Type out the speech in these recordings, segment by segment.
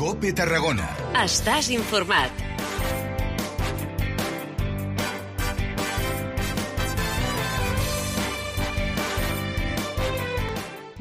COPE Tarragona. Estàs informat.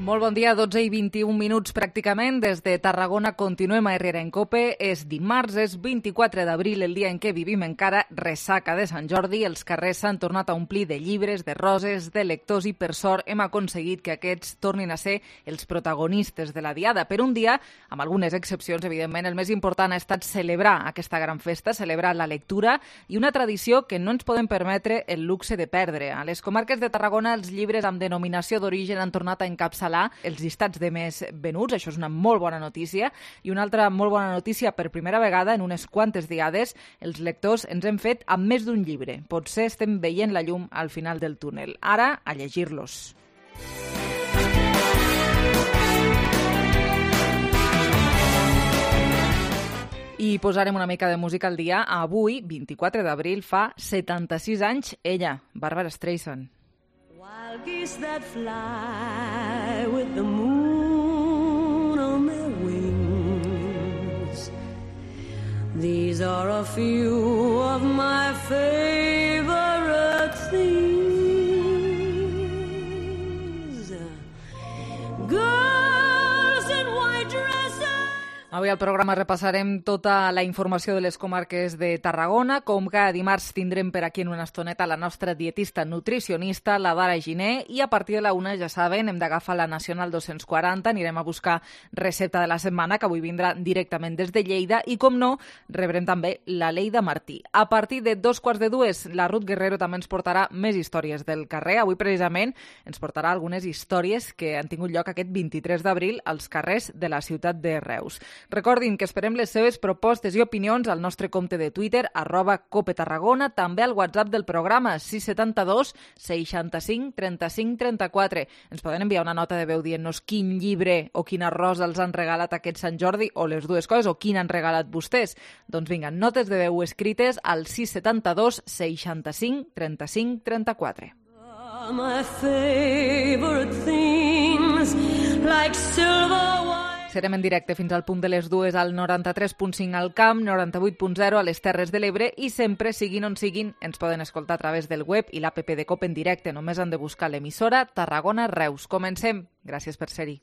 Molt bon dia, 12 i 21 minuts pràcticament. Des de Tarragona continuem a Herrera en COPE. És dimarts, és 24 d'abril, el dia en què vivim encara ressaca de Sant Jordi. Els carrers s'han tornat a omplir de llibres, de roses, de lectors i per sort hem aconseguit que aquests tornin a ser els protagonistes de la diada. Per un dia, amb algunes excepcions, evidentment, el més important ha estat celebrar aquesta gran festa, celebrar la lectura i una tradició que no ens podem permetre el luxe de perdre. A les comarques de Tarragona, els llibres amb denominació d'origen han tornat a encapçalar els llistats de més venuts, això és una molt bona notícia, i una altra molt bona notícia, per primera vegada en unes quantes diades, els lectors ens hem fet amb més d'un llibre. Potser estem veient la llum al final del túnel. Ara, a llegir-los. I posarem una mica de música al dia. Avui, 24 d'abril, fa 76 anys, ella, Barbra Streisand. Wild geese that fly with the moon on their wings. These are a few of my favorite things. Girls in white dresses. Avui al programa repassarem tota la informació de les comarques de Tarragona. Com cada dimarts tindrem per aquí en una estoneta la nostra dietista nutricionista, la Dara Giner, i a partir de la 1, ja saben, hem d'agafar la Nacional 240, anirem a buscar recepta de la setmana, que avui vindrà directament des de Lleida, i com no, rebrem també la Leida Martí. A partir de 2:45, la Ruth Guerrero també ens portarà més històries del carrer. Avui precisament ens portarà algunes històries que han tingut lloc aquest 23 d'abril als carrers de la ciutat de Reus. Recordin que esperem les seves propostes i opinions al nostre compte de Twitter, @CopeTarragona, també al WhatsApp del programa, 672 65 35 34. Ens poden enviar una nota de veu dient-nos quin llibre o quina rosa els han regalat aquest Sant Jordi, o les dues coses, o quin han regalat vostès. Doncs vinga, notes de veu escrites al 672 65 35 34. My favorite things like silver wine. Serem en directe fins al punt de les 2 al 93.5 al Camp, 98.0 a les Terres de l'Ebre i sempre, siguin on siguin, ens poden escoltar a través del web i l'app de COPE en directe. Només han de buscar l'emissora Tarragona Reus. Comencem. Gràcies per ser-hi.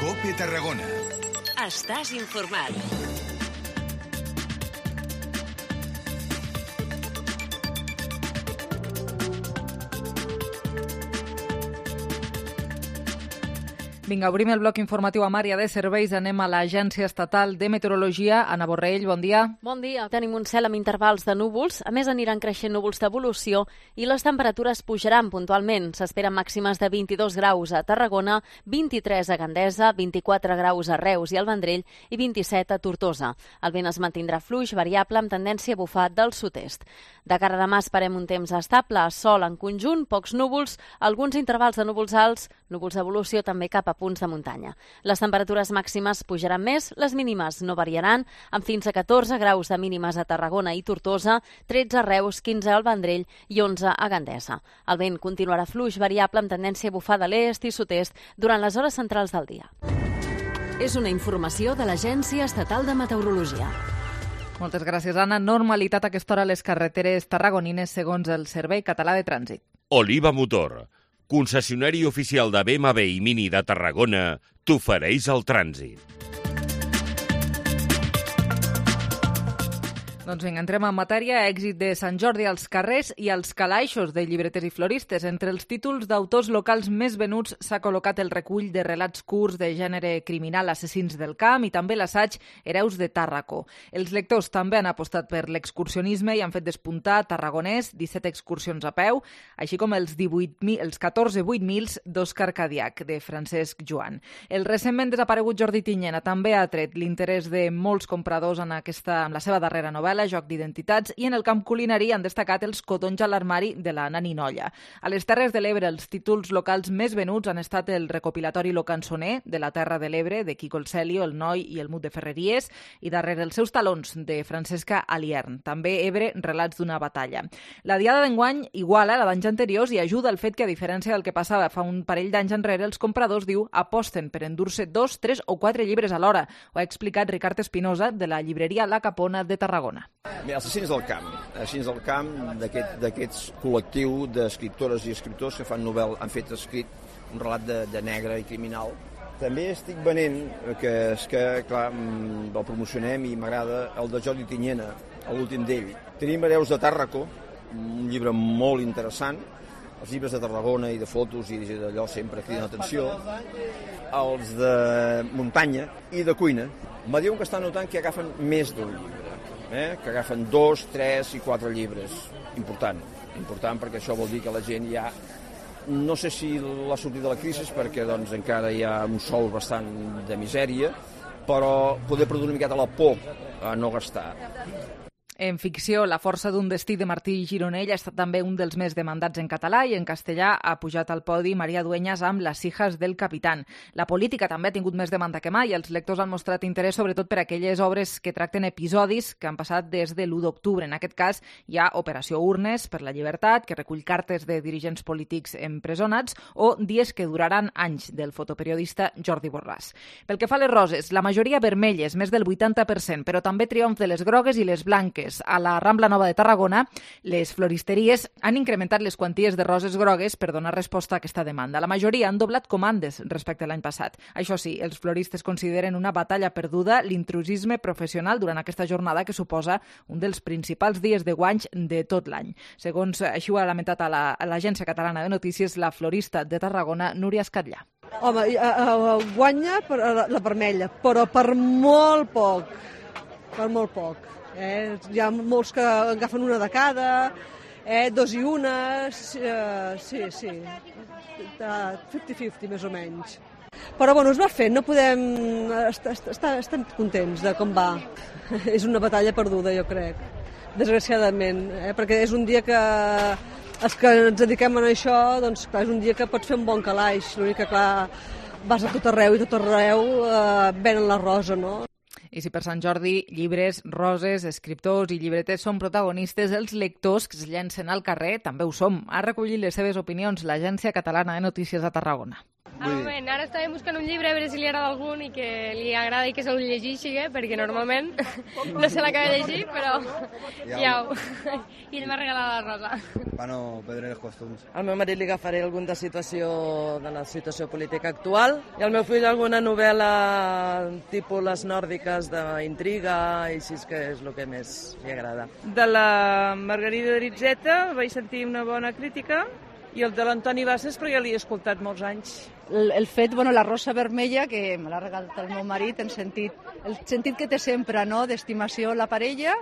COPE Tarragona. Estàs informat. Vinga, obrim el bloc informatiu amb àrea de serveis. Anem a l'Agència Estatal de Meteorologia. Anna Borrell, bon dia. Bon dia. Tenim un cel amb intervals de núvols. A més, aniran creixent núvols d'evolució i les temperatures pujaran puntualment. S'esperen màximes de 22 graus a Tarragona, 23 a Gandesa, 24 graus a Reus i al Vendrell i 27 a Tortosa. El vent es mantindrà fluix, variable, amb tendència a bufar del sud-est. De cara a demà esperem un temps estable, sol en conjunt, pocs núvols, alguns intervals de núvols alts, núvols d'evolució també cap a punts de muntanya. Les temperatures màximes pujaran més, les mínimes no variaran, amb fins a 14 graus de mínimes a Tarragona i Tortosa, 13 a Reus, 15 al Vendrell i 11 a Gandesa. El vent continuarà fluix, variable, amb tendència a bufar de l'est i sud-est durant les hores centrals del dia. És una informació de l'Agència Estatal de Meteorologia. Moltes gràcies, Anna. Normalitat a aquesta hora a les carreteres tarragonines segons el Servei Català de Trànsit. Oliva Motor, concessionari oficial de BMW i Mini de Tarragona, t'ofereix el trànsit. Doncs vinga, entrem en matèria. Èxit de Sant Jordi als carrers i als calaixos de llibreters i floristes. Entre els títols d'autors locals més venuts s'ha col·locat el recull de relats curts de gènere criminal Assassins del Camp i també l'assaig Hereus de Tàrraco. Els lectors també han apostat per l'excursionisme i han fet despuntar Tarragonès, 17 excursions a peu, així com els 14 8.000 d'Òscar Cadiac, de Francesc Joan. El recentment desaparegut Jordi Tinyena també ha tret l'interès de molts compradors en la seva darrera novel·la, gala, joc d'identitats, i en el camp culinari han destacat els codonys a l'armari de la Nani Nolla. A les Terres de l'Ebre, els títols locals més venuts han estat el recopilatori Lo Cançoner, de la Terra de l'Ebre, de Quico el Celio, el Noi i el Mut de Ferreries, i darrere els seus talons, de Francesca Aliern. També Ebre, relats d'una batalla. La diada d'enguany iguala la d'anys anteriors i ajuda el fet que, a diferència del que passava fa un parell d'anys enrere, els compradors, diu, aposten per endur-se 2, 3 o 4 llibres a l'hora. Ho ha explicat Ricard Espinosa, de la llibreria La Capona de Tarragona. Bé, els Assassins del Camp, d'aquests col·lectiu d'escriptores i escriptors que fan han fet escrit un relat de negre i criminal. També estic venent, que és que, clar, el promocionem i m'agrada, el de Jordi Tinyena, l'últim d'ell. Tenim Hereus de Tàrraco, un llibre molt interessant. Els llibres de Tarragona i de fotos i d'allò sempre criden l'atenció. Els de muntanya i de cuina. Me diuen que estan notant que agafen més d'un llibre, que agafen 2, 3 i 4 llibres. Important perquè això vol dir que la gent ja... No sé si l'ha sortit de la crisi perquè doncs, encara hi ha un sou bastant de misèria, però poder produir una miqueta la por a no gastar. En ficció, La força d'un destí de Martí Gironell ha estat també un dels més demandats en català i en castellà ha pujat al podi Maria Dueñas amb Las hijas del capitán. La política també ha tingut més demanda que mai i els lectors han mostrat interès sobretot per aquelles obres que tracten episodis que han passat des de l'1 d'octubre. En aquest cas hi ha Operació Urnes per la llibertat, que recull cartes de dirigents polítics empresonats, o Dies que duraran anys, del fotoperiodista Jordi Borràs. Pel que fa a les roses, la majoria vermelles, més del 80%, però també triomf de les grogues i les blanques. A la Rambla Nova de Tarragona, les floristeries han incrementat les quanties de roses grogues per donar resposta a aquesta demanda. La majoria han doblat comandes respecte a l'any passat. Això sí, els floristes consideren una batalla perduda l'intrusisme professional durant aquesta jornada que suposa un dels principals dies de guanys de tot l'any. Segons així ho ha lamentat a l'Agència Catalana de Notícies la florista de Tarragona, Núria Escatllà. Home, guanya la vermella, però per molt poc. Per molt poc. Hi ha molts que agafen una de cada, 2 i 1, sí, 50-50 més o menys. Però bueno, es va fent, no podem... Estem contents de com va. És una batalla perduda, jo crec, desgraciadament, perquè és un dia que els que ens dediquem a això, doncs clar, és un dia que pots fer un bon calaix, l'únic que clar, vas a tot arreu i tot arreu venen la rosa, no? I si per Sant Jordi llibres, roses, escriptors i llibreters són protagonistes, els lectors que es llencen al carrer també ho som. Ha recollit les seves opinions l'Agència Catalana de Notícies a Tarragona. Ara estàvem buscant un llibre a veure si li agrada algun i que li agrada i que se'l llegeixi, perquè normalment no se l'acaba de llegir, però ja ho... I ell m'ha regalat la rosa. Per no perdre els costums. Al meu marit li agafaré algun de la situació política actual i al meu fill alguna novel·la tipus les nòrdiques d'intriga i així que és el que més li agrada. De la Margarida Ritzeta vaig sentir una bona crítica i el de l'Antoni Bassas perquè ja l'he escoltat molts anys. El fet, la rosa vermella, que me l'ha regalat el meu marit, el sentit que té sempre, no?, d'estimació la parella,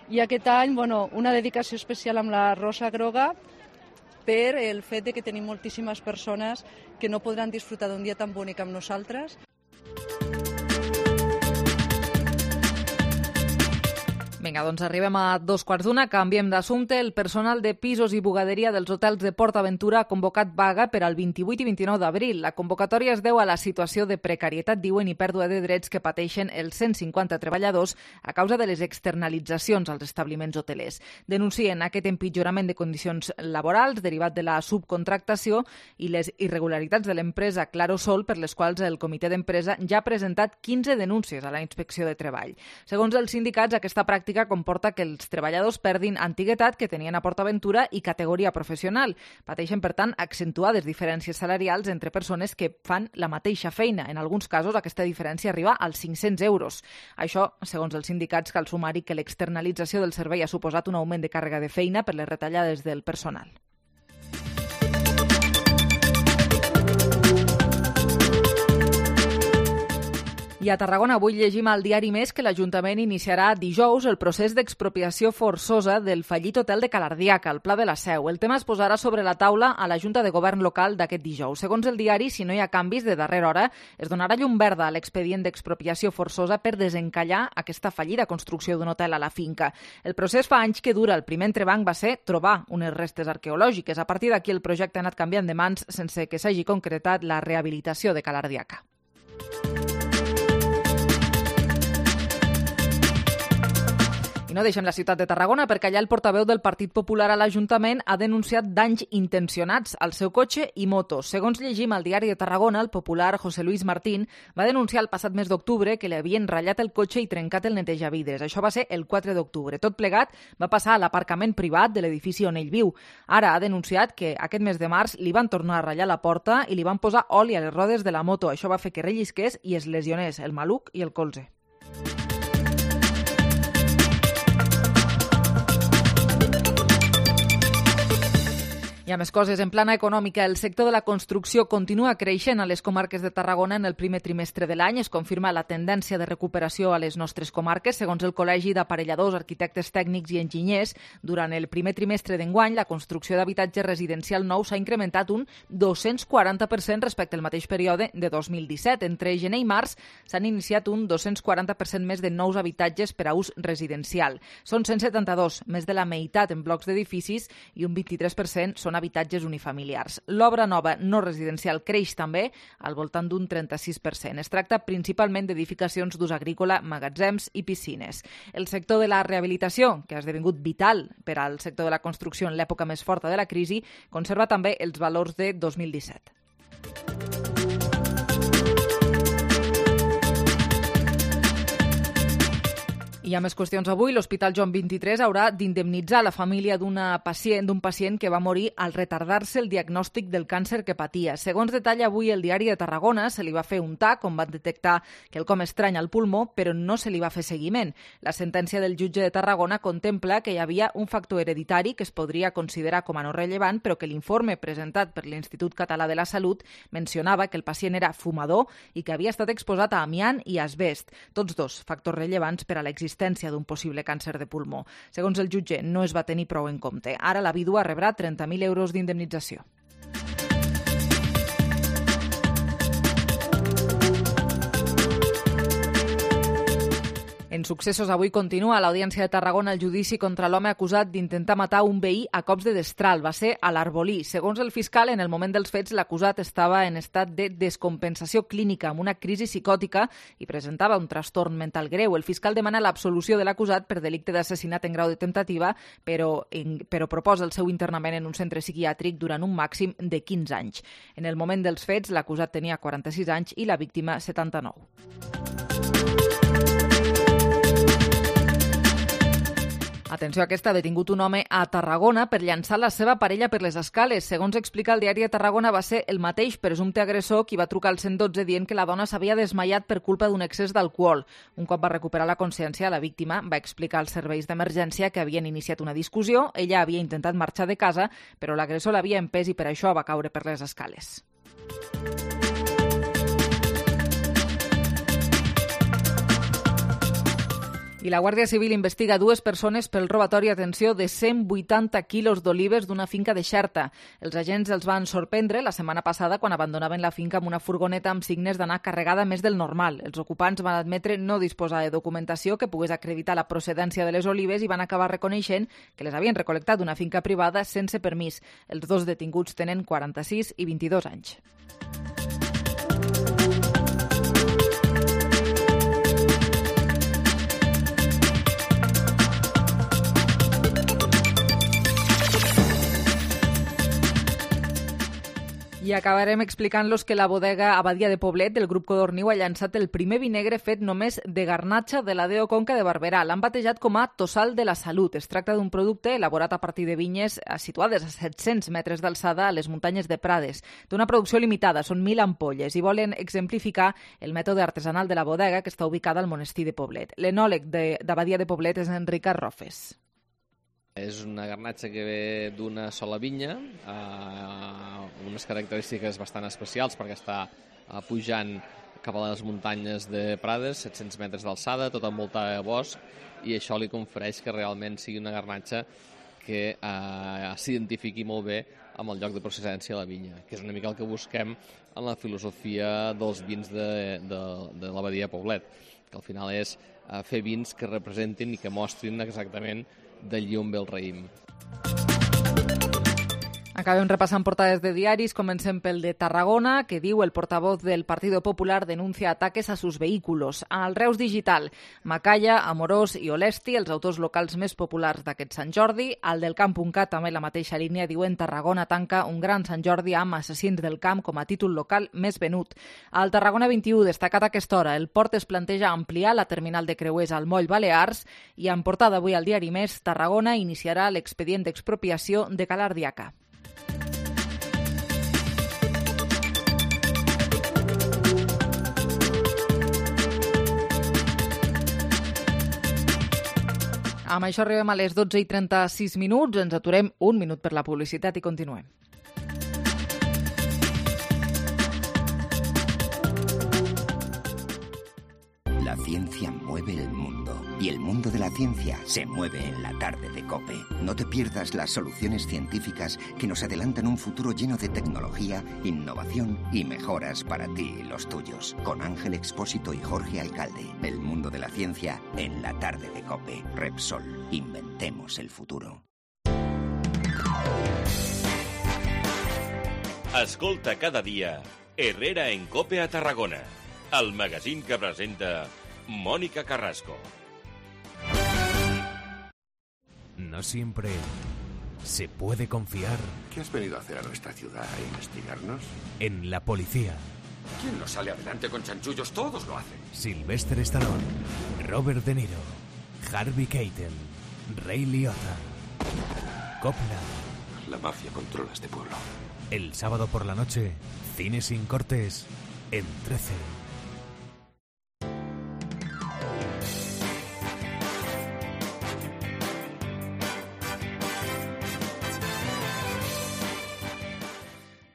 i aquest any, una dedicació especial amb la rosa groga per el fet de que tenim moltíssimes persones que no podran disfrutar d'un dia tan bonic amb nosaltres. Vinga, doncs arribem a 2:15, canviem d'assumpte. El personal de pisos i bugaderia dels hotels de PortAventura ha convocat vaga per al 28 i 29 d'abril. La convocatòria es deu a la situació de precarietat, diuen, i pèrdua de drets que pateixen els 150 treballadors a causa de les externalitzacions als establiments hotelers. Denuncien aquest empitjorament de condicions laborals derivat de la subcontractació i les irregularitats de l'empresa Clarosol, per les quals el comitè d'empresa ja ha presentat 15 denúncies a la Inspecció de Treball. Segons els sindicats, aquesta pràctica comporta que els treballadors perdin antiguitat que tenien a PortAventura i categoria professional. Pateixen, per tant, accentuades diferències salarials entre persones que fan la mateixa feina. En alguns casos, aquesta diferència arriba als 500 euros. Això, segons els sindicats, cal sumar-hi que l'externalització del servei ha suposat un augment de càrrega de feina per les retallades del personal. I a Tarragona avui llegim al diari Més que l'Ajuntament iniciarà dijous el procés d'expropiació forçosa del fallit hotel de Calardiaca, al Pla de la Seu. El tema es posarà sobre la taula a la Junta de Govern local d'aquest dijous. Segons el diari, si no hi ha canvis de darrera hora, es donarà llum verda a l'expedient d'expropiació forçosa per desencallar aquesta fallida construcció d'un hotel a la finca. El procés fa anys que dura. El primer entrebanc va ser trobar unes restes arqueològiques. A partir d'aquí el projecte ha anat canviant de mans sense que s'hagi concretat la rehabilitació de Calardiaca. No deixem la ciutat de Tarragona perquè allà el portaveu del Partit Popular a l'Ajuntament ha denunciat danys intencionats al seu cotxe i motos. Segons llegim al diari de Tarragona, el popular José Luis Martín va denunciar el passat mes d'octubre que li havien ratllat el cotxe i trencat el netejavides. Això va ser el 4 d'octubre. Tot plegat va passar a l'aparcament privat de l'edifici on ell viu. Ara ha denunciat que aquest mes de març li van tornar a ratllar la porta i li van posar oli a les rodes de la moto. Això va fer que rellisqués i es lesionés el maluc i el colze. Hi ha més coses. En plana econòmica, el sector de la construcció continua creixent a les comarques de Tarragona en el primer trimestre de l'any. Es confirma la tendència de recuperació a les nostres comarques. Segons el Col·legi d'Aparelladors, Arquitectes Tècnics i Enginyers, durant el primer trimestre d'enguany, la construcció d'habitatge residencial nou s'ha incrementat un 240% respecte al mateix període de 2017. Entre gener i març s'han iniciat un 240% més de nous habitatges per a ús residencial. Són 172, més de la meitat en blocs d'edificis i un 23% són habitatges unifamiliars. L'obra nova no residencial creix també al voltant d'un 36%. Es tracta principalment d'edificacions d'ús agrícola, magatzems i piscines. El sector de la rehabilitació, que ha esdevingut vital per al sector de la construcció en l'època més forta de la crisi, conserva també els valors de 2017. Hi ha més qüestions avui. L'Hospital Joan XXIII haurà d'indemnitzar la família d'un pacient que va morir al retardar-se el diagnòstic del càncer que patia. Segons detalla avui el diari de Tarragona, se li va fer un TAC on van detectar quelcom estrany al pulmó, però no se li va fer seguiment. La sentència del jutge de Tarragona contempla que hi havia un factor hereditari que es podria considerar com a no rellevant, però que l'informe presentat per l'Institut Català de la Salut mencionava que el pacient era fumador i que havia estat exposat a amiant i asbest, tots dos factors rellevants per a l'existència d'un possible càncer de pulmó. Segons el jutge, no es va tenir prou en compte. Ara la vídua rebrà 30.000 euros d'indemnització. En successos, avui continua a l'Audiència de Tarragona el judici contra l'home acusat d'intentar matar un veí a cops de destral. Va ser a l'Arbolí. Segons el fiscal, en el moment dels fets, l'acusat estava en estat de descompensació clínica, amb una crisi psicòtica i presentava un trastorn mental greu. El fiscal demana l'absolució de l'acusat per delicte d'assassinat en grau de temptativa, però proposa el seu internament en un centre psiquiàtric durant un màxim de 15 anys. En el moment dels fets, l'acusat tenia 46 anys i la víctima 79. Atenció, aquesta ha detingut un home a Tarragona per llançar la seva parella per les escales. Segons explica el diari de Tarragona, va ser el mateix presumpte agressor qui va trucar al 112 dient que la dona s'havia desmaiat per culpa d'un excés d'alcohol. Un cop va recuperar la consciència, la víctima va explicar als serveis d'emergència que havien iniciat una discussió. Ella havia intentat marxar de casa, però l'agressor l'havia empès i per això va caure per les escales. I la Guàrdia Civil investiga 2 persones pel robatori, atenció, de 180 quilos d'olives d'una finca de Xerta. Els agents els van sorprendre la setmana passada quan abandonaven la finca amb una furgoneta amb signes d'anar carregada més del normal. Els ocupants van admetre no disposar de documentació que pogués acreditar la procedència de les olives i van acabar reconeixent que les havien recol·lectat d'una finca privada sense permís. Els 2 detinguts tenen 46 i 22 anys. I acabarem explicant-los que la bodega Abadia de Poblet del grup Codorniu ha llançat el primer vi negre fet només de garnatxa de la Deo Conca de Barberà. L'han batejat com a Tossal de la Salut. Es tracta d'un producte elaborat a partir de vinyes situades a 700 metres d'alçada a les muntanyes de Prades. Té una producció limitada, són 1.000 ampolles, i volen exemplificar el mètode artesanal de la bodega que està ubicada al monestir de Poblet. L'enòleg d'Abadia de Poblet és Enric Arrofes. És una garnatxa que ve d'una sola vinya, unes característiques bastant especials perquè està pujant cap a les muntanyes de Prades, 700 metres d'alçada, tot envoltada de bosc, i això li confereix que realment sigui una garnatxa que s'identifiqui molt bé amb el lloc de procedència de la vinya, que és una mica el que busquem en la filosofia dels vins de l'abadia Poblet, que al final és fer vins que representin i que mostrin exactament d'allí on ve el raïm. Acabem repassant portades de diaris. Comencem pel de Tarragona, que diu el portavoz del Partido Popular denuncia ataques a sus vehículos. Al Reus Digital, Macalla, Amorós i Olesti, els autors locals més populars d'aquest Sant Jordi. Al del Camp.cat, també la mateixa línia, diuen Tarragona tanca un gran Sant Jordi amb Assassins del Camp com a títol local més venut. Al Tarragona 21, destacat a aquesta hora, el port es planteja ampliar la terminal de creuers al moll Balears i en portada avui al diari Més, Tarragona iniciarà l'expedient d'expropiació de Ca l'Ardiaca. Amb això arribem a les 12:36. Ens aturem un minut per la publicitat i continuem. La ciencia mueve el mundo y el mundo de la ciencia se mueve en la tarde de COPE. No te pierdas las soluciones científicas que nos adelantan un futuro lleno de tecnología, innovación y mejoras para ti y los tuyos. Con Ángel Expósito y Jorge Alcalde. El mundo de la ciencia en la tarde de COPE. Repsol. Inventemos el futuro. Escolta cada dia Herrera en COPE a Tarragona, el magazín que presenta Mónica Carrasco. No siempre se puede confiar. ¿Qué has venido a hacer a nuestra ciudad? ¿A investigarnos? En la policía. ¿Quién no sale adelante con chanchullos? Todos lo hacen. Sylvester Stallone, Robert De Niro, Harvey Keitel, Ray Liotta, Coppola. La mafia controla este pueblo. El sábado por la noche, Cine sin cortes, en 13.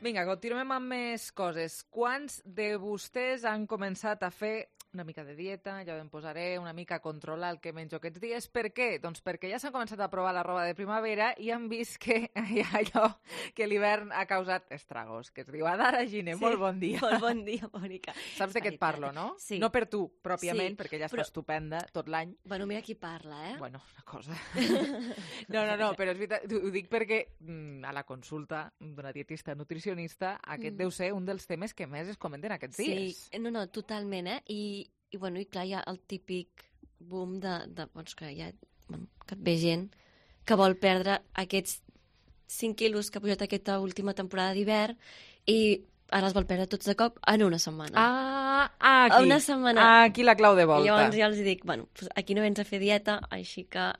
Vinga, continuem amb més coses. Quants de vostès han començat a fer una mica de dieta, ja em posaré, una mica a controlar el que menjo aquests dies? Per què? Doncs perquè ja s'han començat a provar la roba de primavera i han vist que hi ha allò que l'hivern ha causat estragos, que es diu Adara Giner. Sí, molt bon dia. Molt bon dia, Mònica. Saps de què et parlo, no? Sí. No per tu, pròpiament, sí, perquè ja està estupenda tot l'any. Bueno, mira qui parla, eh? Bueno, una cosa. No, però és veritat, ho dic perquè a la consulta d'una dietista nutricionista aquest deu ser un dels temes que més es comenten aquests dies. Sí, no, totalment, eh? I clar, hi ha el típic boom doncs que et ve gent que vol perdre aquests 5 quilos que ha pujat aquesta última temporada d'hivern i ara els vol perdre tots de cop en una setmana. Aquí. Una setmana. Aquí la clau de volta. I llavors ja els dic, bueno, aquí no vens a fer dieta, així que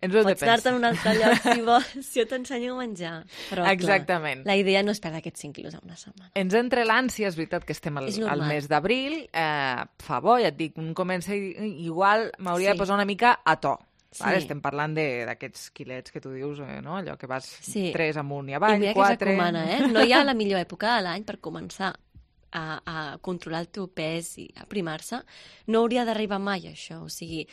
pots anar-te en un altre lloc si vols, si jo t'ensenyo a menjar. Però, exactament. Clar, la idea no és perdre aquests 5 quilos en una setmana. Ens entra l'ànsia, és veritat que estem al mes d'abril, fa bo, ja et dic, un comença igual, m'hauria de posar una mica a to. Sí. Vale, estem parlant d'aquests quilets que tu dius, no? Allò que vas 3 amunt i avall, 4... I mira que s'acomana, No hi ha la millor època de l'any per començar a controlar el teu pes i a primar-se. No hauria d'arribar mai, això. O sigui,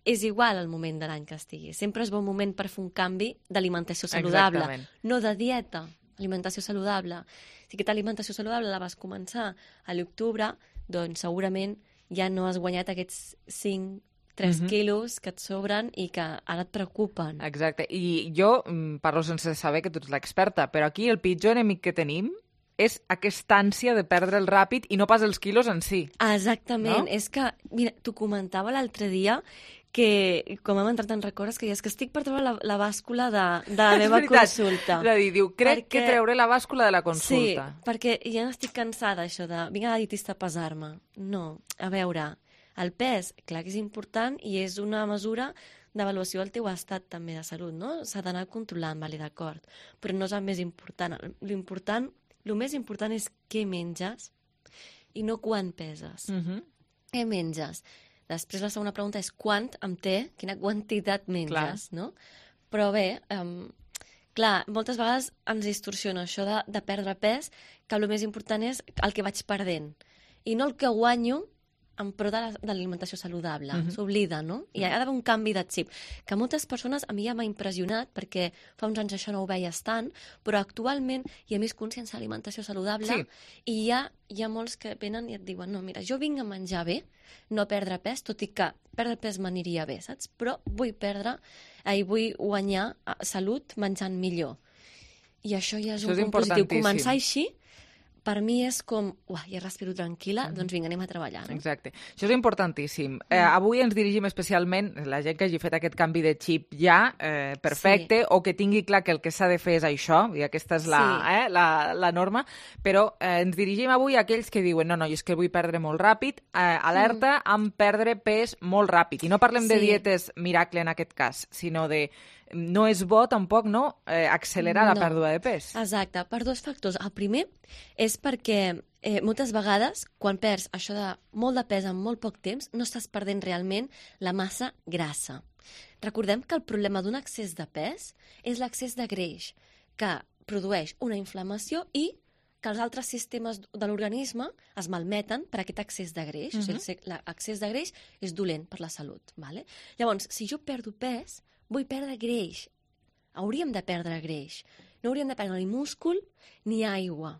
és igual el moment de l'any que estigui. Sempre és bon moment per fer un canvi d'alimentació saludable. Exactament. No de dieta, alimentació saludable. Si aquesta alimentació saludable la vas començar a l'octubre, doncs segurament ja no has guanyat aquests 3 quilos que et sobren i que ara et preocupen. Exacte. I jo parlo sense saber que tu ets l'experta, però aquí el pitjor enemic que tenim és aquesta ànsia de perdre'l ràpid i no pas els quilos en si. Exactament. No? És que, mira, t'ho comentava l'altre dia que, com hem entrat en records, que és que estic per treure la bàscula de la meva consulta. És a dir, diu, crec que treuré la bàscula de la consulta. Sí, perquè ja n'estic cansada, això de vinga a la dietista a pesar-me. No, a veure, el pes, clar que és important i és una mesura d'avaluació del teu estat també de salut, no? S'ha d'anar controlant, vale, d'acord, però no és el més important. El més important és què menges i no quan peses. Què menges? Després la segona pregunta és quant amb té, quina quantitat menges, no? Però bé, clar, moltes vegades ens distorsiona això de perdre pes, que el més important és el que vaig perdent. i no el que guanyo en pro de l'alimentació saludable. S'oblida, no? I ha d'haver un canvi de xip. Que moltes persones, a mi ja m'ha impressionat, perquè fa uns anys això no ho veies tant, però actualment hi ha més consciència de l'alimentació saludable i hi ha molts que venen i et diuen no, mira, jo vinc a menjar bé, no a perdre pes, tot i que perdre pes m'aniria bé, saps? Però vull guanyar salut menjant millor. I això ja és un punt positiu. Començar així, per mi és com, ja respiro tranquil·la, doncs vinga, anem a treballar. No? Exacte. Això és importantíssim. Avui ens dirigim especialment, la gent que hagi fet aquest canvi de xip ja, perfecte, o que tingui clar que el que s'ha de fer és això, i aquesta és la norma, però ens dirigim avui a aquells que diuen no, és que vull perdre molt ràpid, alerta amb perdre pes molt ràpid. I no parlem de dietes miracle en aquest cas, sinó de no és bo tampoc accelerar la pèrdua de pes. Exacte, per dos factors. El primer és perquè moltes vegades, quan perds això de molt de pes en molt poc temps, no estàs perdent realment la massa grassa. Recordem que el problema d'un excés de pes és l'excés de greix, que produeix una inflamació i que els altres sistemes de l'organisme es malmeten per aquest excés de greix. O sigui, l'excés de greix és dolent per la salut. Vale? Llavors, si jo perdo pes, vull perdre greix. Hauríem de perdre greix. No hauríem de perdre ni múscul ni aigua.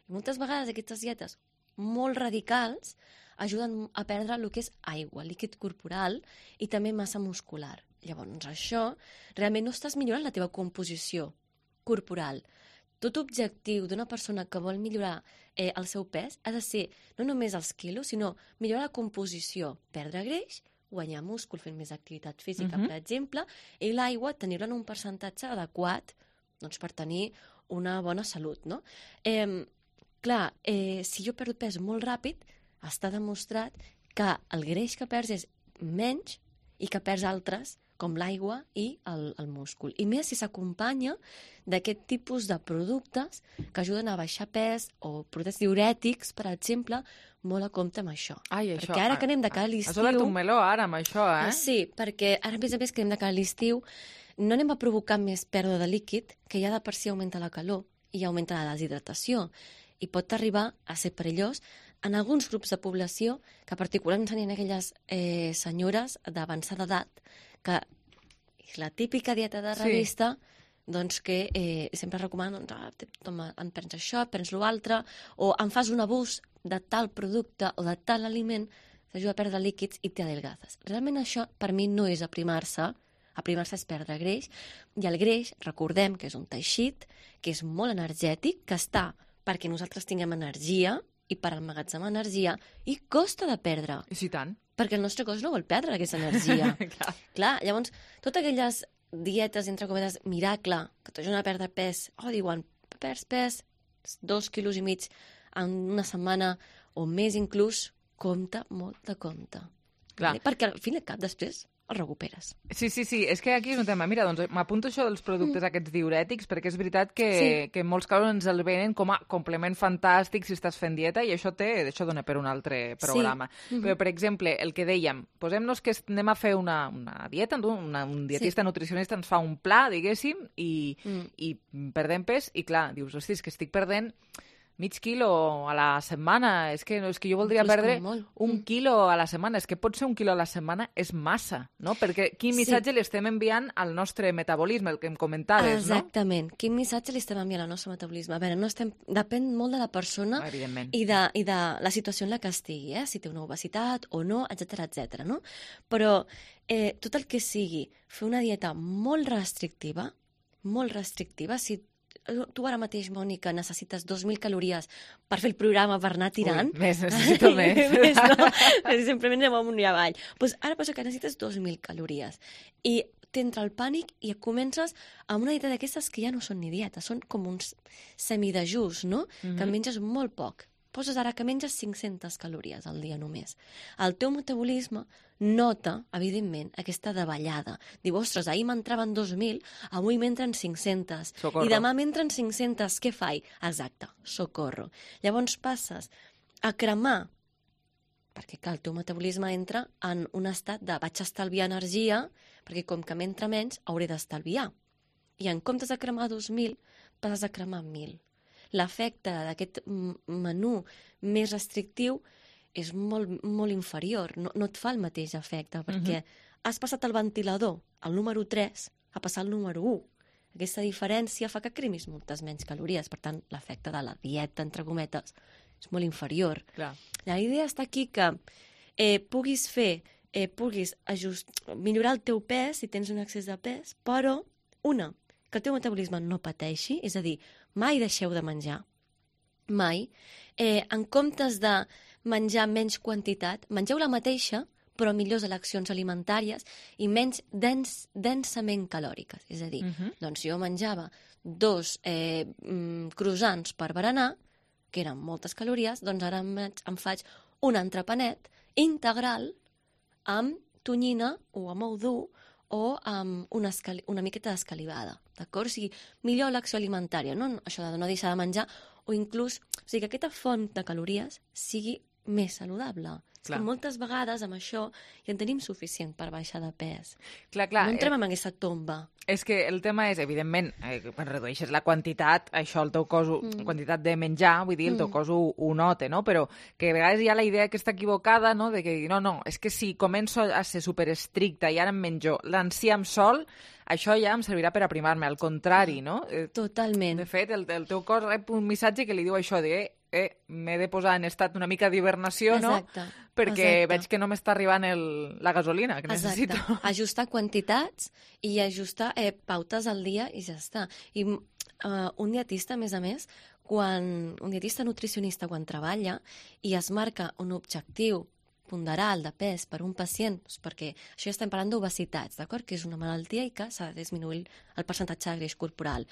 I moltes vegades aquestes dietes molt radicals ajuden a perdre el que és aigua, líquid corporal i també massa muscular. Llavors això, realment no estàs millorant la teva composició corporal. Tot objectiu d'una persona que vol millorar el seu pes ha de ser no només els quilos, sinó millorar la composició, perdre greix, guanyar múscul fent més activitat física, per exemple, i l'aigua tenir-la en un percentatge adequat per tenir una bona salut. No? Clar, si jo perdo pes molt ràpid, està demostrat que el greix que perds és menys i que perds altres, com l'aigua i el múscul. I més si s'acompanya d'aquest tipus de productes que ajuden a baixar pes o productes diurètics, per exemple, molt a compte amb això. Perquè ara que anem de cara a l'estiu... Has obert un meló ara amb això, Sí, perquè ara a més que anem de cara a l'estiu no anem a provocar més pèrdua de líquid, que ja de per si augmenta la calor i augmenta la deshidratació. I pot arribar a ser perillós en alguns grups de població, que particularment serien aquelles senyores d'avançada edat, que és la típica dieta de revista, doncs que sempre recomanen, en prens això, prens l'altre, o en fas un abús de tal producte o de tal aliment, t'ajuda a perdre líquids i t'adelgazes. Realment això, per mi, no és aprimar-se. Aprimar-se és perdre greix, i el greix, recordem que és un teixit, que és molt energètic, que està perquè nosaltres tinguem energia i per emmagatzemar energia, i costa de perdre. I si tant. Perquè el nostre cos no vol perdre aquesta energia. Clar, llavors, totes aquelles dietes, entre cometes, miracle, que t'ajuden a perdre pes, diuen, perds pes, 2,5 quilos en una setmana, o més inclús, compte, molt de compte. Vale? Perquè al fin i al cap, després, el recuperes. Sí, és que aquí és un tema. Mira, doncs m'apunto això dels productes aquests diurètics, perquè és veritat que en molts casos ens el venen com a complement fantàstic si estàs fent dieta, i això dona per un altre programa. Però, per exemple, el que dèiem, posem-nos que anem a fer una dieta, un dietista nutricionista ens fa un pla, diguéssim, i perdem pes, i clar, dius, hosti, és que estic perdent mig quilo a la setmana, és que jo voldria perdre un quilo a la setmana, és que pot ser un quilo a la setmana, és massa, no? Perquè quin missatge li estem enviant al nostre metabolisme, el que em comentaves, no? Exactament, quin missatge li estem enviant al nostre metabolisme. A veure, depèn molt de la persona i de la situació en la que estigui, si té una obesitat o no, etc, no? Però tot el que sigui fer una dieta molt restrictiva, si tu ara mateix, Mònica, necessites 2.000 calories per fer el programa, per anar tirant. Necessito més. No? Simplement anem amunt i avall. Doncs ara passa que necessites 2.000 calories. I t'entra el pànic i comences amb una dieta d'aquestes que ja no són ni dietes, són com uns semidejús, no? Que menges molt poc. Poses ara que menges 500 calories al dia només. El teu metabolisme nota, evidentment, aquesta davallada. Diu, ostres, ahir m'entraven 2.000, avui m'entren 500. Socorro. I demà m'entren 500, què faig? Exacte, socorro. Llavors passes a cremar, perquè clar, el teu metabolisme entra en un estat de vaig estalviar energia, perquè com que m'entra menys, hauré d'estalviar. I en comptes de cremar 2.000, passes a cremar 1.000. L'efecte d'aquest menú més restrictiu és molt inferior, no et fa el mateix efecte, perquè has passat el ventilador, el número 3, a passar al número 1. Aquesta diferència fa que cremis moltes menys calories, per tant, l'efecte de la dieta, entre cometes, és molt inferior. Clar. La idea està aquí que puguis millorar el teu pes si tens un excés de pes, però, que el teu metabolisme no pateixi, és a dir, mai deixeu de menjar, mai. En comptes de menjar menys quantitat, mengeu la mateixa, però millors eleccions alimentàries i menys densament calòriques. És a dir, doncs jo menjava 2 croissants per berenar, que eren moltes calories, doncs ara em faig un entrepanet integral amb tonyina o amb ou dur o amb una miqueta d'escalivada, d'acord? O sigui, millor elecció alimentària, no? Això de no deixar de menjar, o inclús, o sigui, que aquesta font de calories sigui més saludable. És que moltes vegades amb això ja en tenim suficient per baixar de pes. Clar. No entrem en aquesta tomba. És que el tema és, evidentment, quan redueixes la quantitat, això el teu cos, quantitat de menjar, vull dir, el teu cos ho nota, no? Però que a vegades hi ha la idea que està equivocada, no?, de que no, és que si començo a ser superestricta i ara em menjo l'enciam sol, això ja em servirà per aprimar-me, al contrari, no? Totalment. De fet, el teu cos rep un missatge que li diu això de m'he de posar en estat una mica d'hibernació, no? Perquè veig que no m'està arribant la gasolina que necessito. Ajustar quantitats i ajustar pautes al dia i ja està. I un dietista, a més, un dietista nutricionista quan treballa i es marca un objectiu ponderal de pes per un pacient, perquè això ja estem parlant d'obesitats, d'acord? Que és una malaltia i que s'ha de disminuir el percentatge de greix corporal.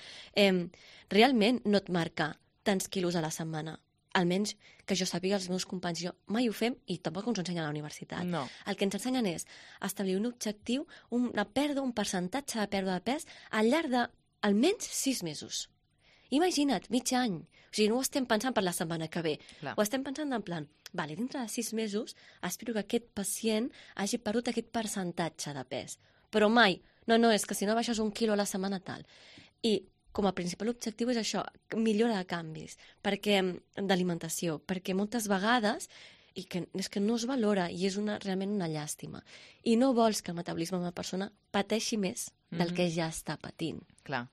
Realment no et marca tants quilos a la setmana. Almenys que jo sàpiga, els meus companys, jo mai ho fem i tampoc ens ho ensenyen a la universitat. No. El que ens ensenyen és establir un objectiu, un percentatge de pèrdua de pes al llarg d'almenys 6 mesos. Imagina't, mig any. O sigui, no ho estem pensant per la setmana que ve. Ho estem pensant en plan, dintre de 6 mesos espero que aquest pacient hagi perdut aquest percentatge de pes. Però mai, no, és que si no baixes 1 quilo a la setmana tal. I com a principal objectiu és això, millora de canvis d'alimentació, perquè moltes vegades és que no es valora i és realment una llàstima. I no vols que el metabolisme d'una persona pateixi més del que ja està patint. Clar,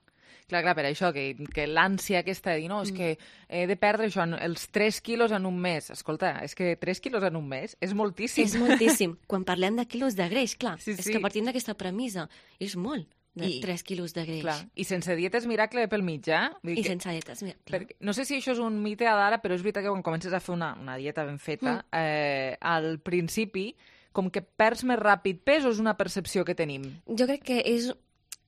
per això, que l'ànsia aquesta de dir, no, és que he de perdre això, els 3 quilos en un mes. Escolta, és que 3 quilos en un mes és moltíssim. És moltíssim. Quan parlem de quilos de greix, clar, és que partim d'aquesta premissa. És molt. 3 quilos de greix. Clar. I sense dietes miracle pel mig, sense dietes miracle. No sé si això és un mite d'ara, però és veritat que quan comences a fer una dieta ben feta, al principi, com que perds més ràpid pes o és una percepció que tenim? Jo crec que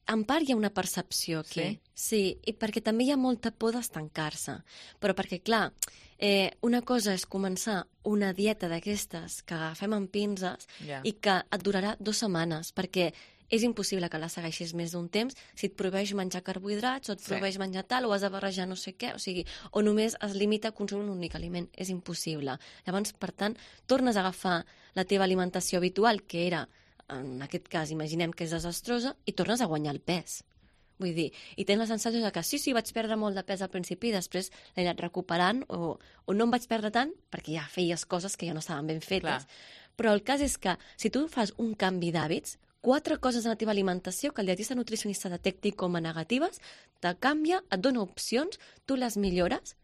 en part hi ha una percepció aquí. Sí, i perquè també hi ha molta por d'estancar-se. Però perquè, clar, una cosa és començar una dieta d'aquestes que agafem amb pinces i que et durarà 2 setmanes, perquè és impossible que la segueixis més d'un temps si et prohibeix menjar carbohidrats o et prohibeix menjar tal o has de barrejar no sé què, o només es limita a consumir un únic aliment. És impossible. Llavors, per tant, tornes a agafar la teva alimentació habitual, que era, en aquest cas, imaginem que és desastrosa, i tornes a guanyar el pes. Vull dir, i tens la sensació de que sí, vaig perdre molt de pes al principi i després l'he anat recuperant o no em vaig perdre tant perquè ja feies coses que ja no estaven ben fetes. Però el cas és que si tu fas un canvi d'hàbits, 4 coses en la teva alimentació que el dietista nutricionista detecti com a negatives, te canvia, et dona opcions, tu les millores,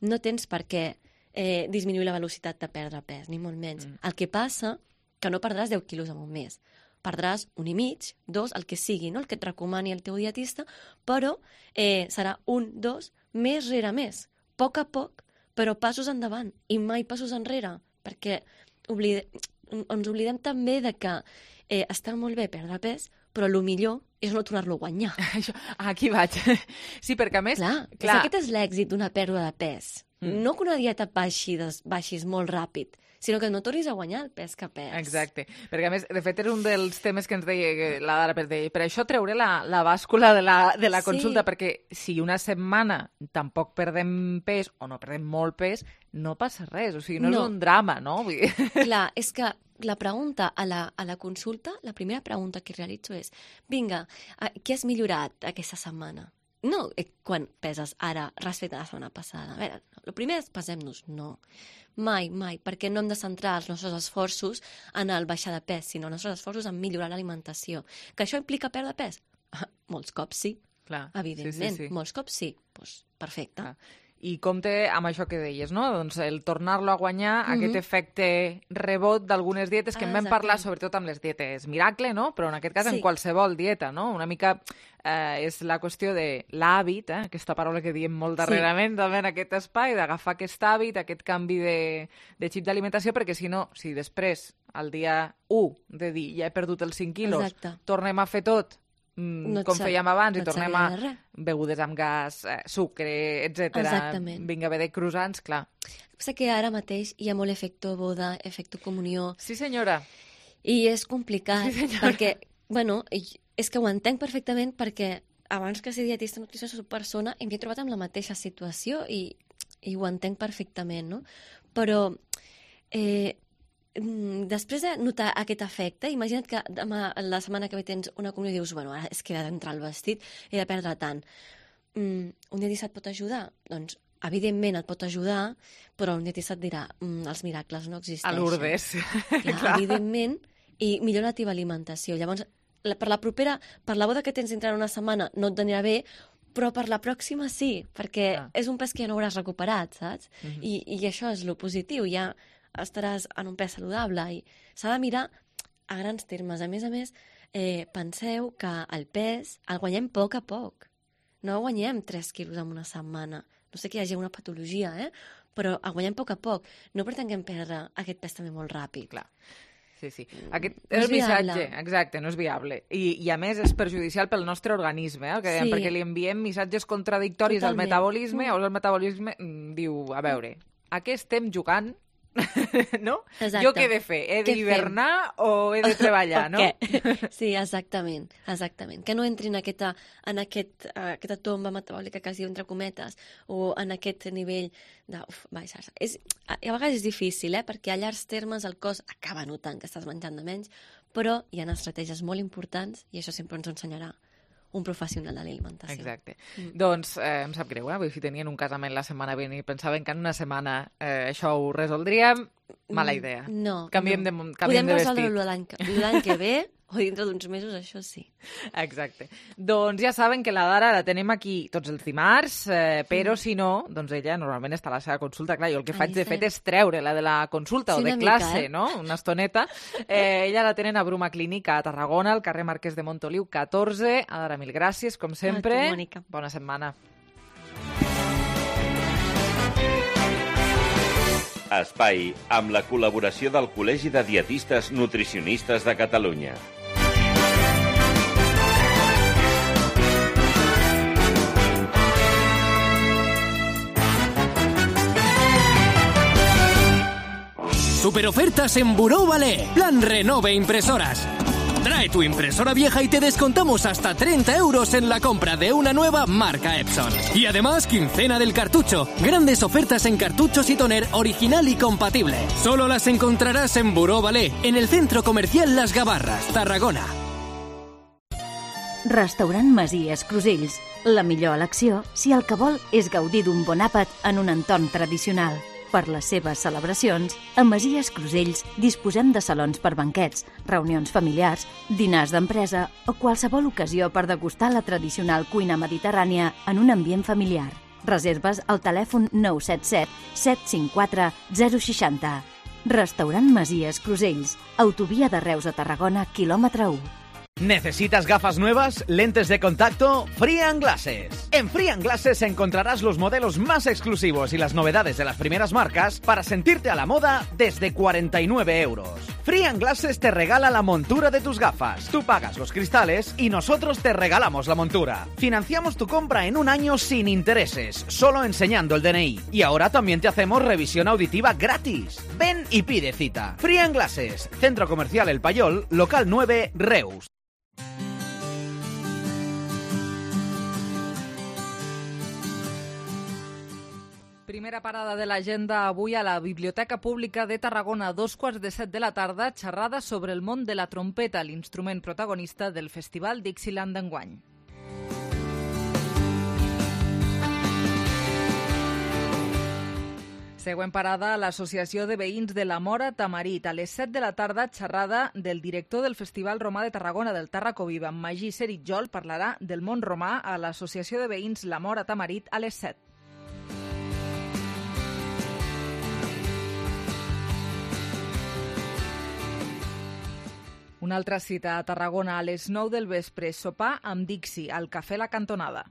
no tens per què disminuir la velocitat de perdre pes, ni molt menys. El que passa que no perdràs 10 quilos en un mes. Perdràs 1,5, 2, el que sigui, no? El que et recomani el teu dietista, però serà 1, 2, més rere més. A poc, però passos endavant i mai passos enrere, perquè ens oblidem també de que està molt bé perdre pes, però el millor és no tornar-lo a guanyar. Aquí vaig. Sí, perquè a més... Clar. Aquest és l'èxit d'una pèrdua de pes. No que una dieta baixis molt ràpid, sinó que no tornis a guanyar el pes que perds. Exacte. Perquè, a més, de fet, és un dels temes que ens deia la Dara, per això treure la bàscula de la consulta, perquè si una setmana tampoc perdem pes o no perdem molt pes, no passa res. O sigui, no és un drama, no? Clar, és que la pregunta a la consulta, la primera pregunta que realitzo és: vinga, què has millorat aquesta setmana? no quan peses ara respecte a la setmana passada. A veure, el primer és pesem-nos. No. Mai, perquè no hem de centrar els nostres esforços en el baixar de pes, sinó els nostres esforços en millorar l'alimentació. Que això implica perdre pes? Molts cops sí. Clar. Evidentment, sí. molts cops sí. Pues, perfecte. Clar. I compte amb això que deies, no? Doncs el tornar-lo a guanyar, aquest efecte rebot d'algunes dietes que en vam parlar sobretot amb les dietes miracle, no? Però en aquest cas en qualsevol dieta, no? Una mica és la qüestió de l'hàbit, aquesta paraula que diem molt darrerament també en aquest espai, d'agafar aquest hàbit, aquest canvi de xip d'alimentació, perquè si no, si després, al dia 1 de dir ja he perdut els 5 quilos, tornem a fer tot com fèiem abans i tornem a begudes amb gas, sucre, etc. Vinga, bé de croissants, clar. Sé que ara mateix hi ha molt efecte boda, efecte comunió. Sí, senyora. I és complicat, perquè, bueno, és que ho entenc perfectament perquè abans que ser dietista nutricionista soc persona i m'he trobat amb la mateixa situació i ho entenc perfectament, no? Però després de notar aquest efecte, imagina't que demà, la setmana que ve tens una comunió i dius, bueno, ara és que he d'entrar al vestit, he de perdre tant. Un dietista et pot ajudar? Doncs, evidentment et pot ajudar, però un dietista et dirà, els miracles no existeixen. A Lourdes. Clar, evidentment, i millora la teva alimentació. Llavors, per la propera, per la boda que tens dintre una setmana no et anirà bé, però per la pròxima sí, perquè és un pes que ja no hauràs recuperat, saps? I això és lo positiu, ja estaràs en un pes saludable i s'ha de mirar a grans termes. A més, penseu que el pes el guanyem a poc. No guanyem 3 quilos en una setmana. No sé que hi hagi una patologia, però el guanyem a poc. No pretenguem perdre aquest pes també molt ràpid. Clar. Sí. Aquest és el missatge, exacte, no és viable. I a més és perjudicial pel nostre organisme, el que dèiem, perquè li enviem missatges contradictoris al metabolisme, o el metabolisme diu, a veure, a què estem jugant? No? Exacte. Jo què he de fer? He d'hivernar o he de treballar, no? Sí, exactament. Que no entri en aquesta tomba metabòlica que es diu entre cometes o en aquest nivell de... a vegades és difícil, perquè a llargs termes el cos acaba notant que estàs menjant de menys, però hi ha estratègies molt importants i això sempre ens ho ensenyarà un professional de l'alimentació. Exacte. Doncs em sap greu, vull dir, tenien un casament la setmana vinent i pensaven que en una setmana això ho resoldríem. Mala idea. No. Canviem de vestit. Podem resoldre-ho l'any que ve o dintre d'uns mesos, això sí. Exacte. Doncs ja saben que la Dara la tenem aquí tots els dimarts, però si no, doncs ella normalment està a la seva consulta. Clar, jo el que faig de fet és treure-la de la consulta o de classe, no? Una estoneta. Ella la tenen a Bruma Clínica a Tarragona, al carrer Marquès de Montoliu 14. Dara, mil gràcies, com sempre. A tu, Mònica. Bona setmana. Espai amb la col·laboració del Col·legi de Dietistes Nutricionistes de Catalunya. Superofertas en Buró Ballet. Plan Renove Impresoras. Trae tu impresora vieja y te descontamos hasta 30 euros en la compra de una nueva marca Epson. Y además, quincena del cartucho. Grandes ofertas en cartuchos y toner original y compatible. Solo las encontrarás en Buró Ballet, en el Centro Comercial Las Gavarras, Tarragona. Restaurant Masies Crusells. La millor elecció si el que vol és gaudir d'un bon àpat en un entorn tradicional. Per les seves celebracions, a Masies Crusells disposem de salons per banquets, reunions familiars, dinars d'empresa o qualsevol ocasió per degustar la tradicional cuina mediterrània en un ambient familiar. Reserves al telèfon 977 754 060. Restaurant Masies Crusells, autovia de Reus a Tarragona, quilòmetre 1. ¿Necesitas gafas nuevas? ¿Lentes de contacto? Free & Glasses. En Free & Glasses encontrarás los modelos más exclusivos y las novedades de las primeras marcas para sentirte a la moda desde 49 euros. Free & Glasses te regala la montura de tus gafas. Tú pagas los cristales y nosotros te regalamos la montura. Financiamos tu compra en un año sin intereses, solo enseñando el DNI. Y ahora también te hacemos revisión auditiva gratis. Ven y pide cita. Free & Glasses, Centro Comercial El Payol, local 9, Reus. Primera parada de l'agenda avui a la Biblioteca Pública de Tarragona, 2:15 de la tarda, xerrada sobre el món de la trompeta, l'instrument protagonista del Festival Dixieland d'enguany. Següent parada a l'Associació de Veïns de la Móra Tamarit. A les 7 de la tarda, xerrada del director del Festival Romà de Tarragona del Tarracoviva, Magí Seritjol, parlarà del món romà a l'Associació de Veïns La Móra Tamarit a les 7. Una altra cita a Tarragona a les 9 del vespre, sopar amb Dixi, al Cafè La Cantonada.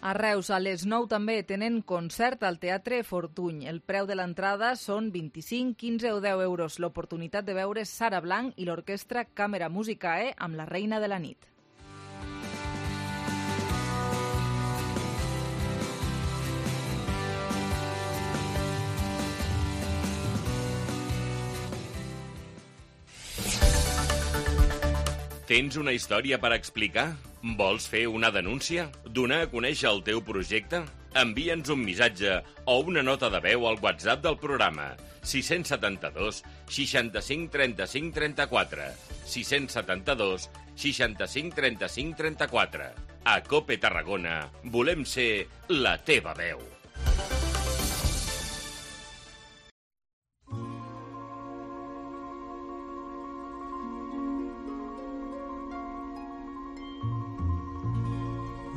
A Reus, a les 9 també tenen concert al Teatre Fortuny. El preu de l'entrada són 25, 15 o 10 euros. L'oportunitat de veure Sara Blanc i l'orquestra Càmera Musicae amb La Reina de la Nit. Tens una història per explicar? Vols fer una denúncia? Donar a conèixer el teu projecte? Envia'ns un missatge o una nota de veu al WhatsApp del programa 672 65 35 34 672 65 35 34. A COPE Tarragona volem ser la teva veu.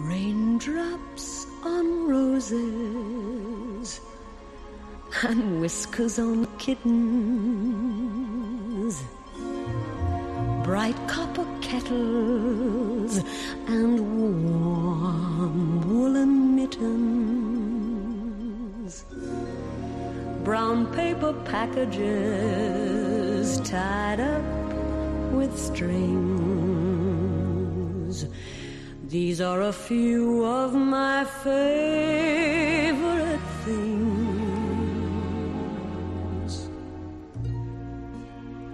Raindrops on roses and whiskers on kittens, bright copper kettles and warm woolen mittens, brown paper packages tied up with strings. These are a few of my favorite things.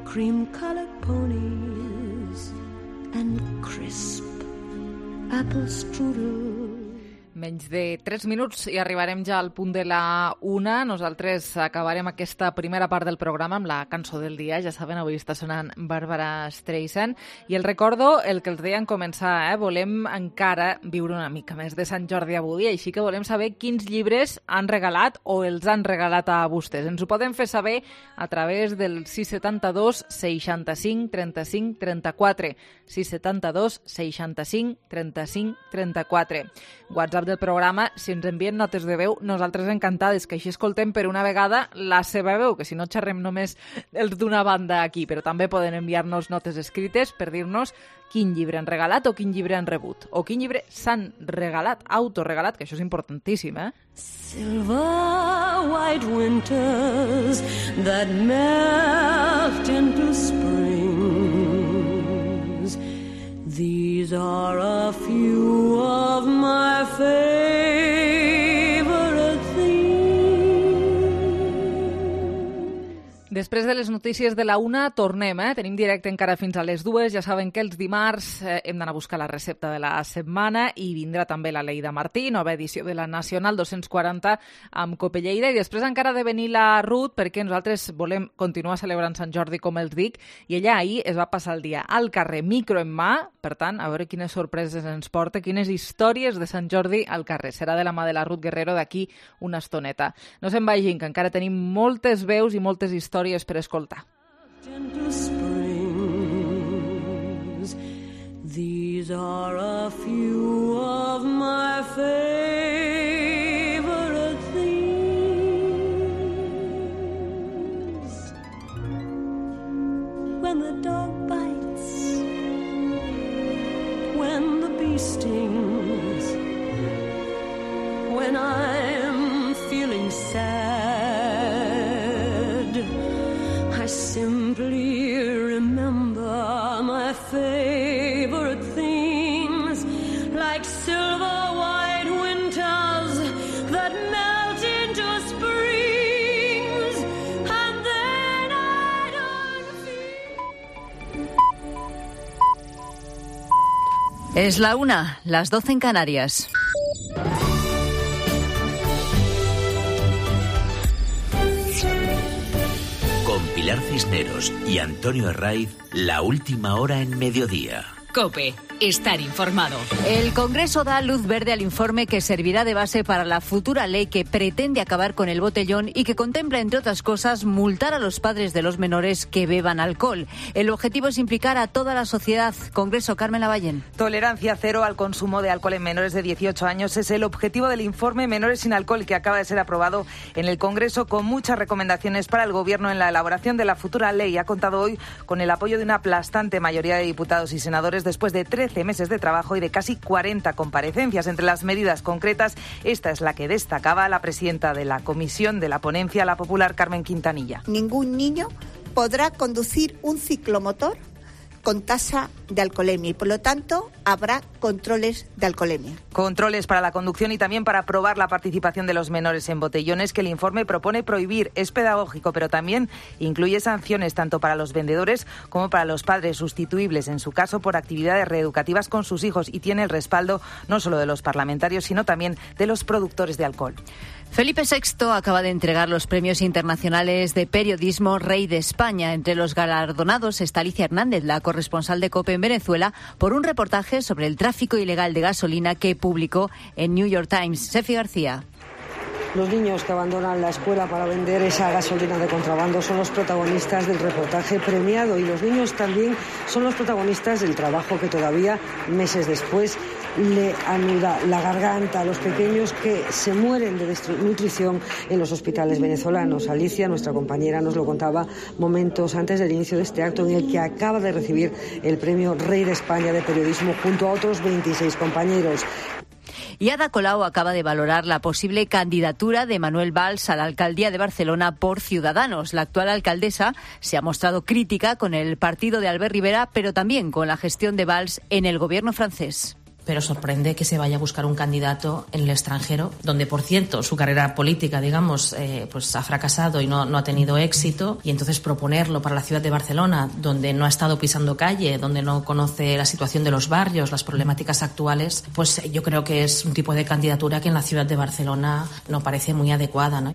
Cream-colored ponies and crisp apple strudel. Menys de 3 minuts i arribarem ja al punt de la 1. Nosaltres acabarem aquesta primera part del programa amb la cançó del dia. Ja saben, avui està sonant Barbara Streisand. I el recordo, el que els deia en començar, volem encara viure una mica més de Sant Jordi avui, així que volem saber quins llibres han regalat o els han regalat a vostès. Ens ho poden fer saber a través del 672 65 35 34. 672 65 35 34. WhatsApp del programa, si ens envien notes de veu, nosaltres encantades, que així escoltem per una vegada la seva veu, que si no xerrem només els d'una banda aquí, però també poden enviar-nos notes escrites per dir-nos quin llibre han regalat o quin llibre han rebut, o quin llibre s'han regalat, autoregalat, que això és importantíssim, Silver white winters that melt into springs. These are a few of my favorite things. Després de les notícies de la 1 tornem, tenim directe encara fins a les 2. Ja saben que els dimarts hem d'anar a buscar la recepta de la setmana i vindrà també la Leida Martí, nova edició de la Nacional 240 amb Cope Lleida, i després encara ha de venir la Ruth perquè nosaltres volem continuar celebrant Sant Jordi, com els dic, i ella ahir es va passar el dia al carrer, micro en mà, per tant, a veure quines sorpreses ens porta, quines històries de Sant Jordi al carrer. Serà de la mà de la Ruth Guerrero d'aquí una estoneta. No se'n vagin, que encara tenim moltes veus i moltes històries per escoltar. These are a few of my favorite things. When the dog bites, when the bee stings, when I'm feeling sad, I simply remember my favorite things, like silver white winters that melt into springs, and then I don't feel. Es la 1, las 12 en Canarias. Pilar Cisneros y Antonio Herraiz, la última hora en Mediodía. COPE. Estar informado. El Congreso da luz verde al informe que servirá de base para la futura ley que pretende acabar con el botellón y que contempla, entre otras cosas, multar a los padres de los menores que beban alcohol. El objetivo es implicar a toda la sociedad. Congreso, Carmen Lavallén. Tolerancia cero al consumo de alcohol en menores de 18 años es el objetivo del informe Menores sin Alcohol, que acaba de ser aprobado en el Congreso con muchas recomendaciones para el Gobierno en la elaboración de la futura ley. Ha contado hoy con el apoyo de una aplastante mayoría de diputados y senadores después de 13 meses de trabajo y de casi 40 comparecencias. Entre las medidas concretas, esta es la que destacaba la presidenta de la comisión de la ponencia, la popular Carmen Quintanilla. Ningún niño podrá conducir un ciclomotor con tasa de alcoholemia y, por lo tanto, habrá controles de alcoholemia. Controles para la conducción y también para probar la participación de los menores en botellones, que el informe propone prohibir. Es pedagógico, pero también incluye sanciones tanto para los vendedores como para los padres, sustituibles en su caso por actividades reeducativas con sus hijos, y tiene el respaldo no solo de los parlamentarios, sino también de los productores de alcohol. Felipe VI acaba de entregar los premios internacionales de periodismo Rey de España. Entre los galardonados está Alicia Hernández, la corresponsal de COPE en Venezuela, por un reportaje sobre el tráfico ilegal de gasolina que publicó en New York Times. Sefi García. Los niños que abandonan la escuela para vender esa gasolina de contrabando son los protagonistas del reportaje premiado, y los niños también son los protagonistas del trabajo que todavía, meses después, le anuda la garganta a los pequeños que se mueren de desnutrición en los hospitales venezolanos. Alicia, nuestra compañera, nos lo contaba momentos antes del inicio de este acto, en el que acaba de recibir el premio Rey de España de periodismo junto a otros 26 compañeros. Y Ada Colau acaba de valorar la posible candidatura de Manuel Valls a la alcaldía de Barcelona por Ciudadanos. La actual alcaldesa se ha mostrado crítica con el partido de Albert Rivera, pero también con la gestión de Valls en el gobierno francés. Pero sorprende que se vaya a buscar un candidato en el extranjero, donde, por cierto, su carrera política, digamos, pues ha fracasado y no ha tenido éxito, y entonces proponerlo para la ciudad de Barcelona, donde no ha estado pisando calle, donde no conoce la situación de los barrios, las problemáticas actuales, pues yo creo que es un tipo de candidatura que en la ciudad de Barcelona no parece muy adecuada, ¿no?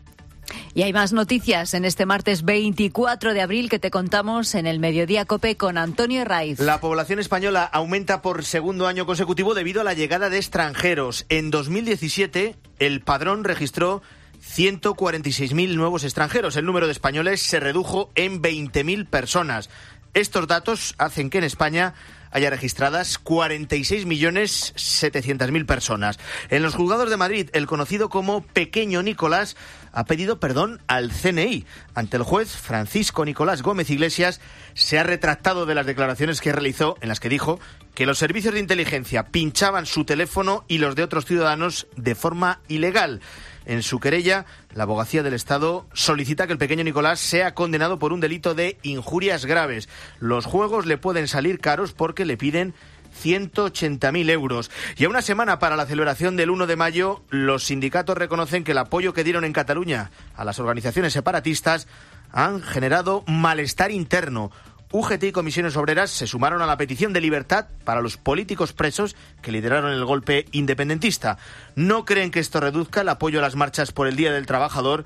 Y hay más noticias en este martes 24 de abril que te contamos en el Mediodía COPE con Antonio Herraiz. La población española aumenta por segundo año consecutivo debido a la llegada de extranjeros. En 2017, el Padrón registró 146.000 nuevos extranjeros. El número de españoles se redujo en 20.000 personas. Estos datos hacen que en España haya registradas 46.700.000 personas. En los juzgados de Madrid, el conocido como Pequeño Nicolás ha pedido perdón al CNI. Ante el juez, Francisco Nicolás Gómez Iglesias se ha retractado de las declaraciones que realizó, en las que dijo que los servicios de inteligencia pinchaban su teléfono y los de otros ciudadanos de forma ilegal. En su querella, la Abogacía del Estado solicita que el pequeño Nicolás sea condenado por un delito de injurias graves. Los juegos le pueden salir caros porque le piden 180.000 euros. Y a una semana para la celebración del 1 de mayo, los sindicatos reconocen que el apoyo que dieron en Cataluña a las organizaciones separatistas han generado malestar interno. UGT y Comisiones Obreras se sumaron a la petición de libertad para los políticos presos que lideraron el golpe independentista. No creen que esto reduzca el apoyo a las marchas por el Día del Trabajador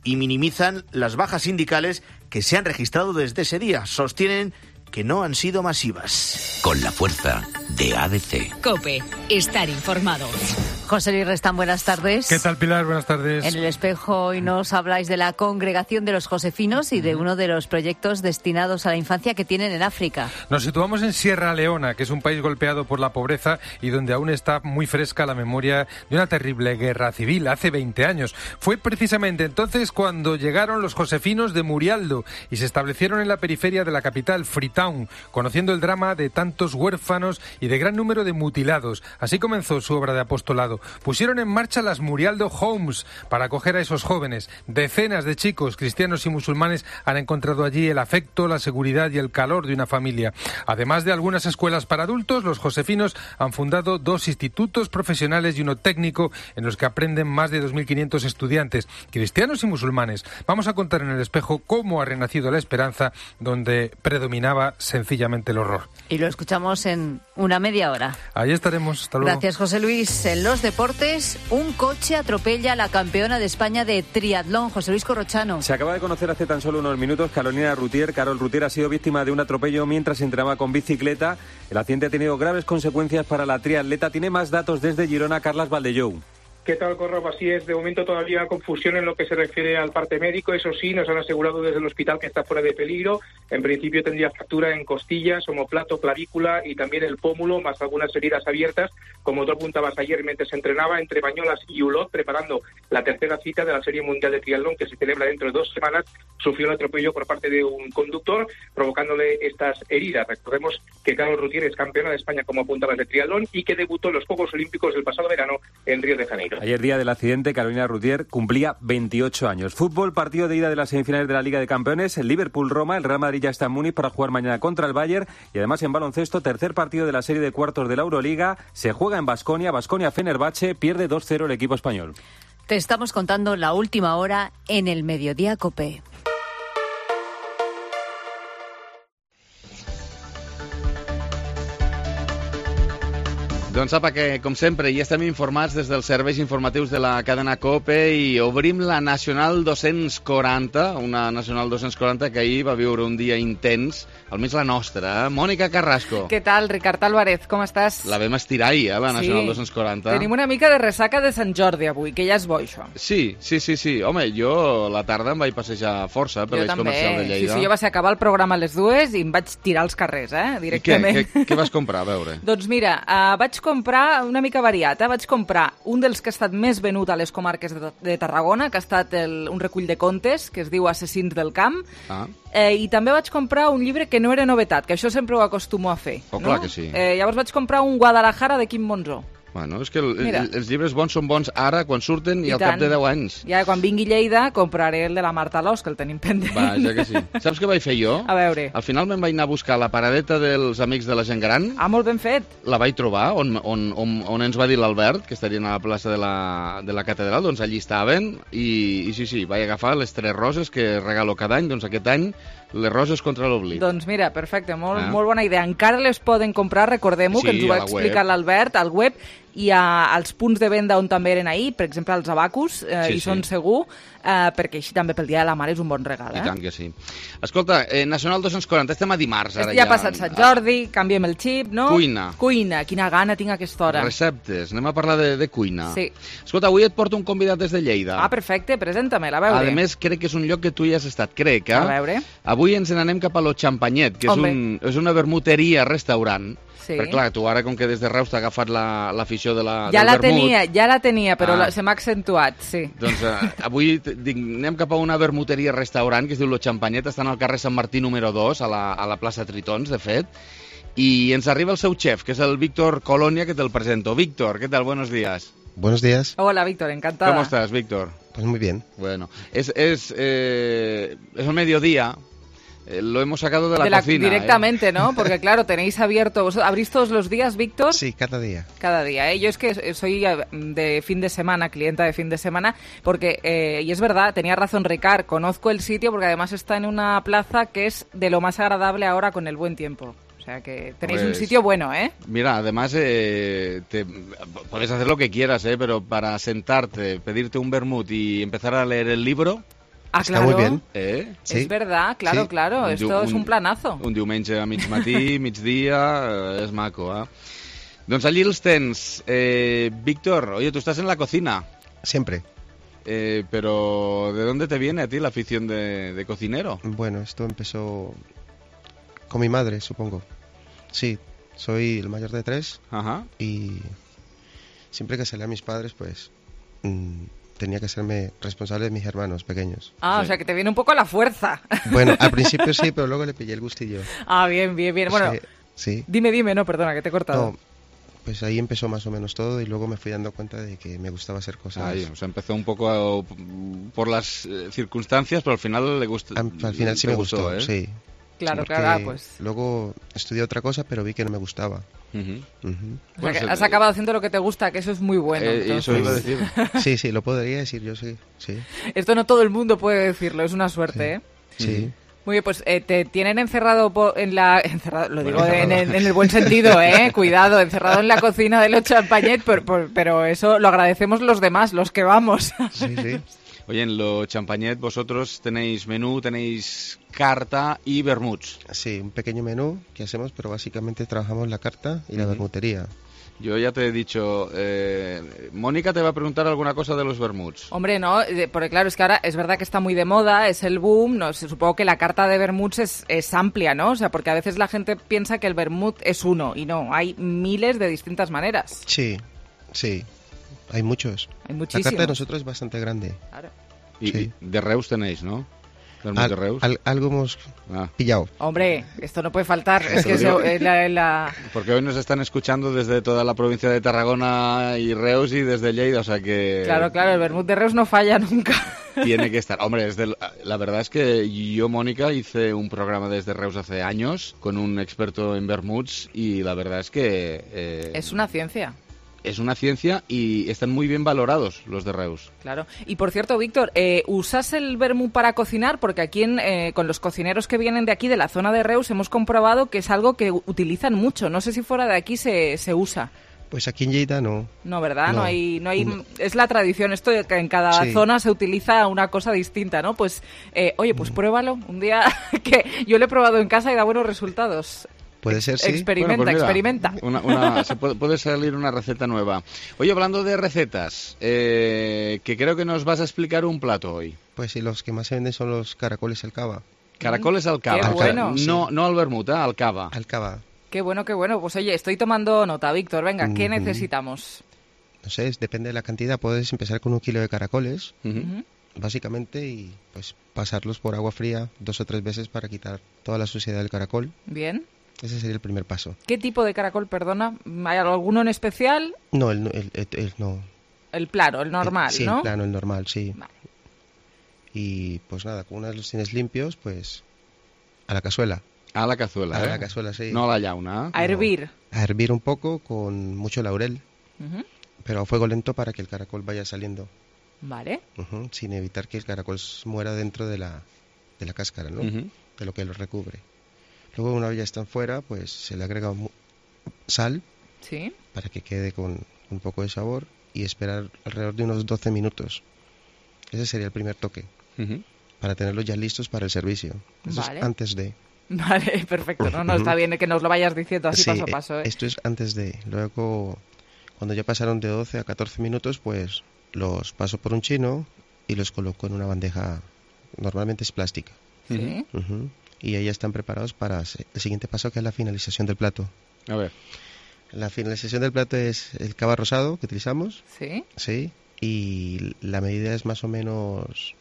y minimizan las bajas sindicales que se han registrado desde ese día. Sostienen que no han sido masivas. Con la fuerza de ADC. COPE. Estar informado. José Luis Restán, buenas tardes. ¿Qué tal, Pilar? Buenas tardes. En El Espejo hoy nos habláis de la Congregación de los Josefinos y de uno de los proyectos destinados a la infancia que tienen en África. Nos situamos en Sierra Leona, que es un país golpeado por la pobreza y donde aún está muy fresca la memoria de una terrible guerra civil hace 20 años. Fue precisamente entonces cuando llegaron los josefinos de Murialdo y se establecieron en la periferia de la capital, Freetown, conociendo el drama de tantos huérfanos y de gran número de mutilados. Así comenzó su obra de apostolado. Pusieron en marcha las Murialdo Homes para acoger a esos jóvenes. Decenas de chicos, cristianos y musulmanes, han encontrado allí el afecto, la seguridad y el calor de una familia. Además de algunas escuelas para adultos, los josefinos han fundado 2 institutos profesionales y uno técnico en los que aprenden más de 2.500 estudiantes, cristianos y musulmanes. Vamos a contar en El Espejo cómo ha renacido la esperanza donde predominaba sencillamente el horror. Y lo escuchamos en una media hora. Ahí estaremos. Hasta luego. Gracias, José Luis. En los deportes, un coche atropella a la campeona de España de triatlón, José Luis Corrochano. Se acaba de conocer hace tan solo unos minutos que Carol Rutier ha sido víctima de un atropello mientras entrenaba con bicicleta. El accidente ha tenido graves consecuencias para la triatleta. Tiene más datos desde Girona, Carles Valdellou. ¿Qué tal, Corro? Así es, de momento todavía confusión en lo que se refiere al parte médico. Eso sí, nos han asegurado desde el hospital que está fuera de peligro. En principio tendría fractura en costillas, omoplato, clavícula y también el pómulo, más algunas heridas abiertas. Como tú apuntabas ayer, mientras se entrenaba entre Bañolas y Ulot, preparando la tercera cita de la Serie Mundial de Triatlón, que se celebra dentro de 2 semanas, sufrió un atropello por parte de un conductor, provocándole estas heridas. Recordemos que Carol Rutier es campeona de España, como apuntabas, de triatlón y que debutó en los Juegos Olímpicos del pasado verano en Río de Janeiro. Ayer, día del accidente, Carolina Rutier cumplía 28 años. Fútbol, partido de ida de las semifinales de la Liga de Campeones, el Liverpool-Roma, el Real Madrid ya está en Múnich para jugar mañana contra el Bayern y además en baloncesto, tercer partido de la serie de cuartos de la Euroliga, se juega en Baskonia-Fenerbahce, pierde 2-0 el equipo español. Te estamos contando la última hora en el Mediodía COPE. Doncs apa, que com sempre ja estem informats des dels serveis informatius de la cadena COPE i obrim la Nacional 240, una Nacional 240 que ahir va viure un dia intens, almenys la nostra. Mònica Carrasco. Què tal, Ricard Álvarez, com estàs? La vam estirar ahir, la Nacional 240. Tenim una mica de ressaca de Sant Jordi avui, que ja és bo, això. Sí. Home, jo la tarda em vaig passejar força per l'eix comercial de Lleida. Sí, jo vaig acabar el programa a les 2 i em vaig tirar als carrers, directament. I què vas comprar, a veure? Doncs mira, vaig comprar una mica variat. Vaig comprar un dels que ha estat més venut a les comarques de Tarragona, que ha estat un recull de contes, que es diu Assassins del camp, i també vaig comprar un llibre que no era novetat, que això sempre ho acostumo a fer. Oh, clar que sí. Llavors vaig comprar un Guadalajara de Quim Monzó. Bueno, és que els llibres bons són bons ara, quan surten, i al cap de 10 anys. Ja, quan vingui Lleida, compraré el de la Marta Alòs, que el tenim pendent. Vaja que sí. Saps què vaig fer jo? A veure. Al final me'n vaig anar a buscar la paradeta dels Amics de la Gent Gran. Ah, molt ben fet. La vaig trobar, on ens va dir l'Albert, que estarien a la plaça de la Catedral, doncs allí estaven, i sí, vaig agafar les 3 roses que regalo cada any, doncs aquest any les roses contra l'oblit. Doncs mira, perfecte, molt bona idea. Encara les poden comprar, recordem-ho, que ens ho va explicar l'Albert, al web, i als punts de venda on també eren ahir, per exemple als Abacus, hi són segur, perquè així també pel Dia de la Mare és un bon regal. I tant que sí. Escolta, Nacional 240, estem a dimarts ara ja. Ja ha passat Sant Jordi, canviem el xip, no? Cuina, quina gana tinc a aquesta hora. Receptes, anem a parlar de cuina. Sí. Escolta, avui et porto un convidat des de Lleida. Ah, perfecte, presenta-me'l, a veure. A més, crec que és un lloc que tu hi has estat, crec, A veure. Avui ens n'anem cap a Lo Champanyet, que és una vermuteria-restaurant. Sí. Perquè clar, tu ara, com que des de Reus t'ha agafat l'afició del vermut... Ja la tenia, però se m'ha accentuat, sí. Doncs avui anem cap a una vermuteria-restaurant que es diu Lo Champanyet, està al carrer Sant Martí número 2, a la plaça Tritons, de fet, i ens arriba el seu xef, que és el Víctor Colonia, que te'l presento. Víctor, ¿qué tal? Buenos días. Buenos días. Hola, Víctor, encantada. ¿Cómo estás, Víctor? Pues muy bien. Bueno, es el mediodía. Lo hemos sacado de la cocina. Directamente, ¿no? Porque claro, tenéis abierto... ¿Abrís todos los días, Víctor? Sí, cada día. Cada día, ¿eh? Yo es que soy de fin de semana, clienta de fin de semana, porque, y es verdad, tenía razón Ricard, conozco el sitio porque además está en una plaza que es de lo más agradable ahora con el buen tiempo. O sea que tenéis un sitio bueno, ¿eh? Mira, además puedes hacer lo que quieras, pero para sentarte, pedirte un vermut y empezar a leer el libro... Ah, Está claro. muy bien. Sí. Es verdad, claro, sí. Claro. Esto es un planazo. Un diumenge a mig matí, migdia, és maco, Doncs allí els tens. Víctor, oye, tú estás en la cocina. Siempre. Pero, ¿de dónde te viene a ti la afición de cocinero? Bueno, esto empezó con mi madre, supongo. Sí, soy el mayor de 3. Ajá. Y siempre que salía a mis padres, pues... tenía que serme responsable de mis hermanos pequeños. Ah, sí. O sea, que te viene un poco a la fuerza. Bueno, al principio sí, pero luego le pillé el gustillo. Ah, bien. Bueno, sí. Dime, no, perdona, que te he cortado. No, pues ahí empezó más o menos todo y luego me fui dando cuenta de que me gustaba hacer cosas. Ahí, o sea, empezó un poco por las circunstancias, pero al final le gustó. Al final sí me gustó, sí. Claro, pues... Luego estudié otra cosa, pero vi que no me gustaba. O sea, que has acabado haciendo lo que te gusta, que eso es muy bueno. Eso iba a decir. Sí, lo podría decir yo, sí. Esto no todo el mundo puede decirlo, es una suerte, Sí. Muy bien, pues te tienen encerrado lo digo en el buen sentido, cuidado, encerrado en la cocina de los Champañet, pero eso lo agradecemos los demás, los que vamos. Sí, sí. Oye, en lo Champañet vosotros tenéis menú, tenéis carta y vermuts. Sí, un pequeño menú que hacemos, pero básicamente trabajamos la carta y la vermutería. Yo ya te he dicho, Mónica te va a preguntar alguna cosa de los vermuts. Hombre, no, porque claro, es que ahora es verdad que está muy de moda, es el boom, no, supongo que la carta de vermuts es amplia, ¿no? O sea, porque a veces la gente piensa que el vermut es uno y no, hay miles de distintas maneras. Sí, hay muchos. Hay muchísimos. La carta de nosotros es bastante grande. Claro. Y de Reus tenéis, ¿no? De Reus. Algo hemos pillado. Hombre, esto no puede faltar. Es que Porque hoy nos están escuchando desde toda la provincia de Tarragona y Reus y desde Lleida, o sea que... Claro, el vermut de Reus no falla nunca. Tiene que estar. Hombre, la verdad es que yo, Mónica, hice un programa desde Reus hace años con un experto en vermuts y la verdad es que... es una ciencia. Es una ciencia y están muy bien valorados los de Reus. Claro. Y por cierto, Víctor, ¿usas el vermut para cocinar? Porque aquí con los cocineros que vienen de aquí, de la zona de Reus, hemos comprobado que es algo que utilizan mucho. No sé si fuera de aquí se usa. Pues aquí en Lleida no. No, ¿verdad? No hay. Es la tradición. Esto de que en cada zona se utiliza una cosa distinta, ¿no? Pues, oye, pues pruébalo. Un día que yo lo he probado en casa y da buenos resultados. Puede ser, sí. Experimenta. Puede salir una receta nueva. Oye, hablando de recetas, que creo que nos vas a explicar un plato hoy. Pues sí, los que más se venden son los caracoles al cava. Caracoles al cava. Qué bueno. No al vermut, al cava. Al cava. Qué bueno. Pues oye, estoy tomando nota, Víctor. Venga, ¿qué necesitamos? No sé, depende de la cantidad. Puedes empezar con 1 kilo de caracoles, básicamente, y pues pasarlos por agua fría 2 o 3 veces para quitar toda la suciedad del caracol. Bien. Ese sería el primer paso. ¿Qué tipo de caracol, perdona? ¿Hay alguno en especial? No, no. El plano, el normal, sí, ¿no? Sí, el plano, el normal, sí. Vale. Y pues nada, una vez los tienes limpios, pues a la cazuela. A la cazuela, A la cazuela, sí. No a la llauna. A hervir. A hervir un poco con mucho laurel, pero a fuego lento para que el caracol vaya saliendo. Vale. Sin evitar que el caracol muera dentro de la cáscara, ¿no? De lo que lo recubre. Luego, una vez ya están fuera, pues se le agrega sal para que quede con un poco de sabor y esperar alrededor de unos 12 minutos. Ese sería el primer toque, para tenerlos ya listos para el servicio. Eso es antes de... Vale, perfecto. No, está bien que nos lo vayas diciendo así paso a paso. Esto es antes de... Luego, cuando ya pasaron de 12 a 14 minutos, pues los paso por un chino y los coloco en una bandeja, normalmente es plástica. Sí. Y ahí ya están preparados para el siguiente paso, que es la finalización del plato. A ver. La finalización del plato es el cava rosado que utilizamos. Sí. Sí. Y la medida es más o menos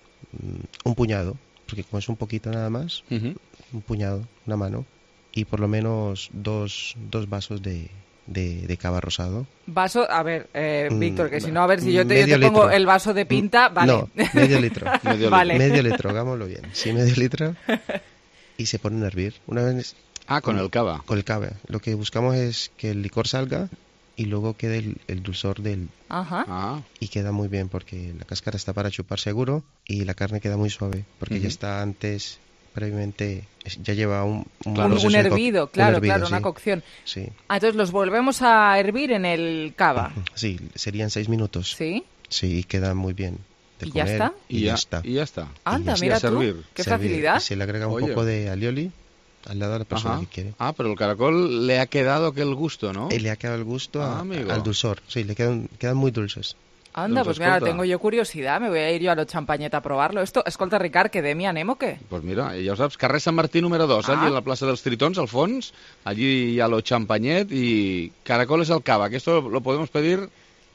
un puñado, porque como es un poquito nada más, un puñado, una mano, y por lo menos dos vasos de cava rosado. Vaso, a ver, Víctor, que si no, a ver si yo te pongo el vaso de pinta, vale. No, medio litro. Vale. Medio litro, hagámoslo bien. Sí, medio litro. Y se ponen a hervir. Una vez... con el cava. Con el cava. Lo que buscamos es que el licor salga y luego quede el dulzor del... Y queda muy bien porque la cáscara está para chupar seguro y la carne queda muy suave porque ya está antes, previamente, ya lleva un hervido, claro, sí. Una cocción. Sí. Entonces los volvemos a hervir en el cava. Sí, serían 6 minutos. ¿Sí? Sí, y queda muy bien. ¿Y ya está? Y ya está. Anda, mira tú, qué facilidad. Se le agrega un poco de alioli al lado de la persona que quiere. Pero el caracol le ha quedado aquel gusto, ¿no? Le ha quedado el gusto al dulzor. Sí, le quedan muy dulces. Anda, pues mira, tengo yo curiosidad, me voy a ir yo a lo Champañet a probarlo. Esto, escolta, Ricard, que de mi anem o què? Pues mira, ya sabes, carrer Sant Martí número 2, allí en la Plaza de los Tritons, al fons, allí a lo Champañet y caracoles al cava, que esto lo podemos pedir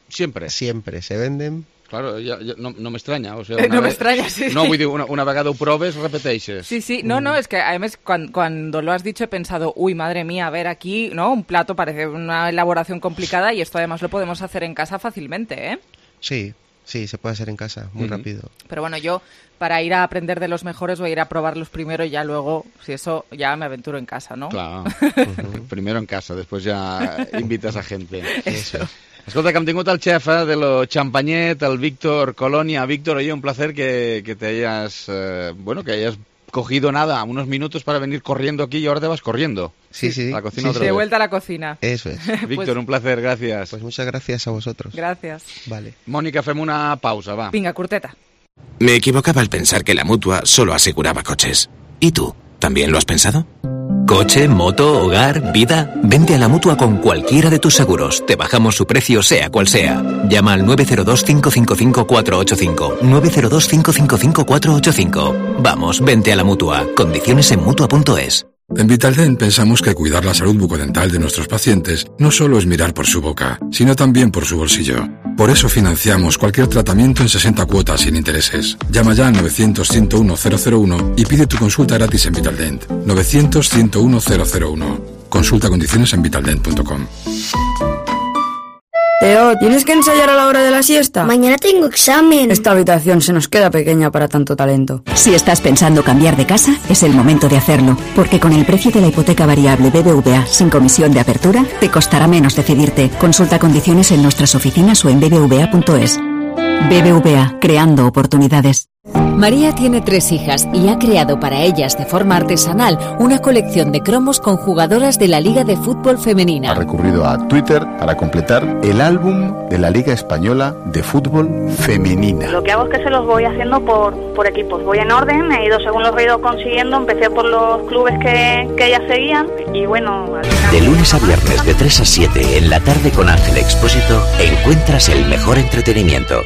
siempre. Siempre, se venden. Claro, no me extraña. O sea, no me extraña, sí. No, vull dir, una vegada ho proves, repeteixes. Sí. No, es que además cuando lo has dicho he pensado, uy, madre mía, a ver aquí, ¿no? Un plato parece una elaboración complicada y esto además lo podemos hacer en casa fácilmente, ¿eh? Sí, se puede hacer en casa, muy rápido. Pero bueno, yo para ir a aprender de los mejores voy a ir a probarlos primero y ya luego, si eso, ya me aventuro en casa, ¿no? Claro. Primero en casa, después ya invitas a gente. Eso. Escolta, que hem tingut el xef de lo Champañet, el Víctor Colònia. Víctor, oye, un placer que te hayas, que hayas cogido nada, unos minutos para venir corriendo aquí y ahora te vas corriendo. Sí. A la cocina otra vez. De vuelta a la cocina. Eso es. Víctor, un placer, gracias. Pues muchas gracias a vosotros. Gracias. Vale. Mónica, fem una pausa, va. Vinga, curteta. Me equivocaba al pensar que la Mutua solo aseguraba coches. ¿Y tú? ¿También lo has pensado? Coche, moto, hogar, vida. Vente a la Mutua con cualquiera de tus seguros. Te bajamos su precio sea cual sea. Llama al 902-555-485. 902-555-485. Vamos, vente a la Mutua. Condiciones en Mutua.es. En Vitaldent pensamos que cuidar la salud bucodental de nuestros pacientes no solo es mirar por su boca, sino también por su bolsillo. Por eso financiamos cualquier tratamiento en 60 cuotas sin intereses. Llama ya al 900-101-001 y pide tu consulta gratis en Vitaldent. 900-101-001. Consulta condiciones en vitaldent.com. Teo, ¿tienes que ensayar a la hora de la siesta? Mañana tengo examen. Esta habitación se nos queda pequeña para tanto talento. Si estás pensando cambiar de casa, es el momento de hacerlo, porque con el precio de la hipoteca variable BBVA sin comisión de apertura, te costará menos decidirte. Consulta condiciones en nuestras oficinas o en bbva.es. BBVA, creando oportunidades. María tiene 3 hijas y ha creado para ellas de forma artesanal una colección de cromos con jugadoras de la Liga de Fútbol Femenina. Ha recurrido a Twitter para completar el álbum de la Liga Española de Fútbol Femenina. Lo que hago es que se los voy haciendo por equipos. Voy en orden, he ido según los he ido consiguiendo. Empecé por los clubes que ellas seguían y bueno... Al final... De lunes a viernes de 3 a 7 en la tarde con Ángel Expósito encuentras el mejor entretenimiento.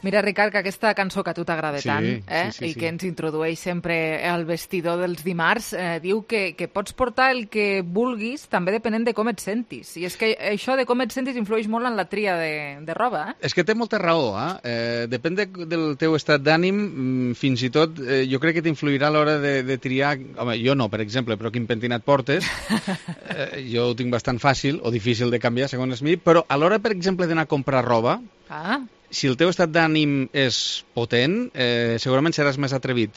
Mira, Ricard, que aquesta cançó que a tu t'agrada tant, sí. I que ens introdueix sempre al vestidor dels dimarts, diu que pots portar el que vulguis, també depenent de com et sentis. I és que això de com et sentis influeix molt en la tria de roba, És que té molta raó, depèn del teu estat d'ànim, fins i tot jo crec que t'influirà a l'hora de triar... Home, jo no, per exemple, però quin pentinat portes, jo ho tinc bastant fàcil o difícil de canviar, segons mi, però a l'hora, per exemple, d'anar a comprar roba... Si el teu estat d'ànim és potent, segurament seràs més atrevit.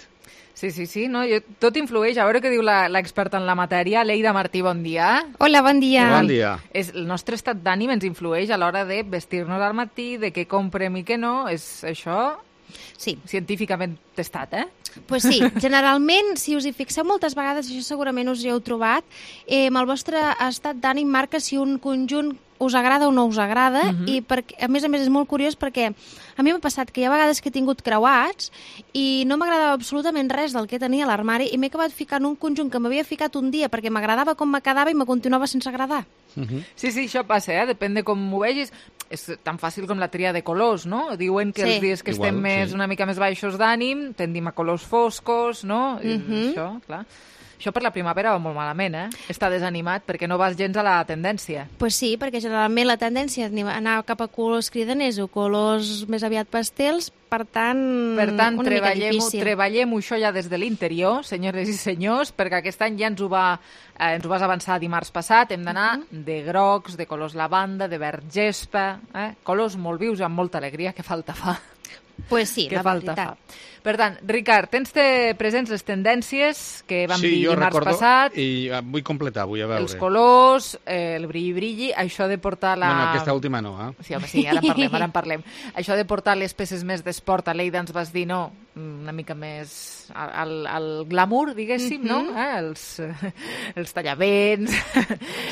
Sí, no? Tot influeix. A veure què diu l'experta en la matèria, Leida Martí, bon dia. Hola, bon dia. Bon dia. El nostre estat d'ànim ens influeix a l'hora de vestir-nos al matí, de què comprem i què no. És això científicament testat, Pues sí, generalment, si us hi fixeu moltes vegades, això segurament us hi heu trobat, el vostre estat d'ànim marca si un conjunt us agrada o no us agrada, i a més és molt curiós perquè a mi m'ha passat que hi ha vegades que he tingut creuats i no m'agradava absolutament res del que tenia a l'armari i m'he acabat ficant un conjunt que m'havia ficat un dia perquè m'agradava com me quedava i me continuava sense agradar. Sí, això passa, depèn de com m'ho vegis. És tan fàcil com la tria de colors, no? Diuen que els dies que estem una mica més baixos d'ànim tendim a colors foscos, no? Això, clar. Això per la primavera va molt malament, Està desanimat perquè no vas gens a la tendència. Pues sí, perquè generalment la tendència és anar cap a colors cridaners o colors més aviat pastels, per tant treballem-ho això ja des de l'interior, senyores i senyors, perquè aquest any ja ens ho vas avançar dimarts passat, hem d'anar de grocs, de colors lavanda, de verd gespa, colors molt vius amb molta alegria, que falta fa. Pues sí, la veritat. Per tant, Ricard, tens presents les tendències que vam dir dimarts passat? Sí, jo recordo, i vull completar, vull a veure. Els colors, el brilli-brilli, això de portar la... No, aquesta última no, Sí, home, sí, ara en parlem. Això de portar les peces més d'esport, a l'Eida ens vas dir, no, una mica més al glamour, diguéssim, no? Els tallavents,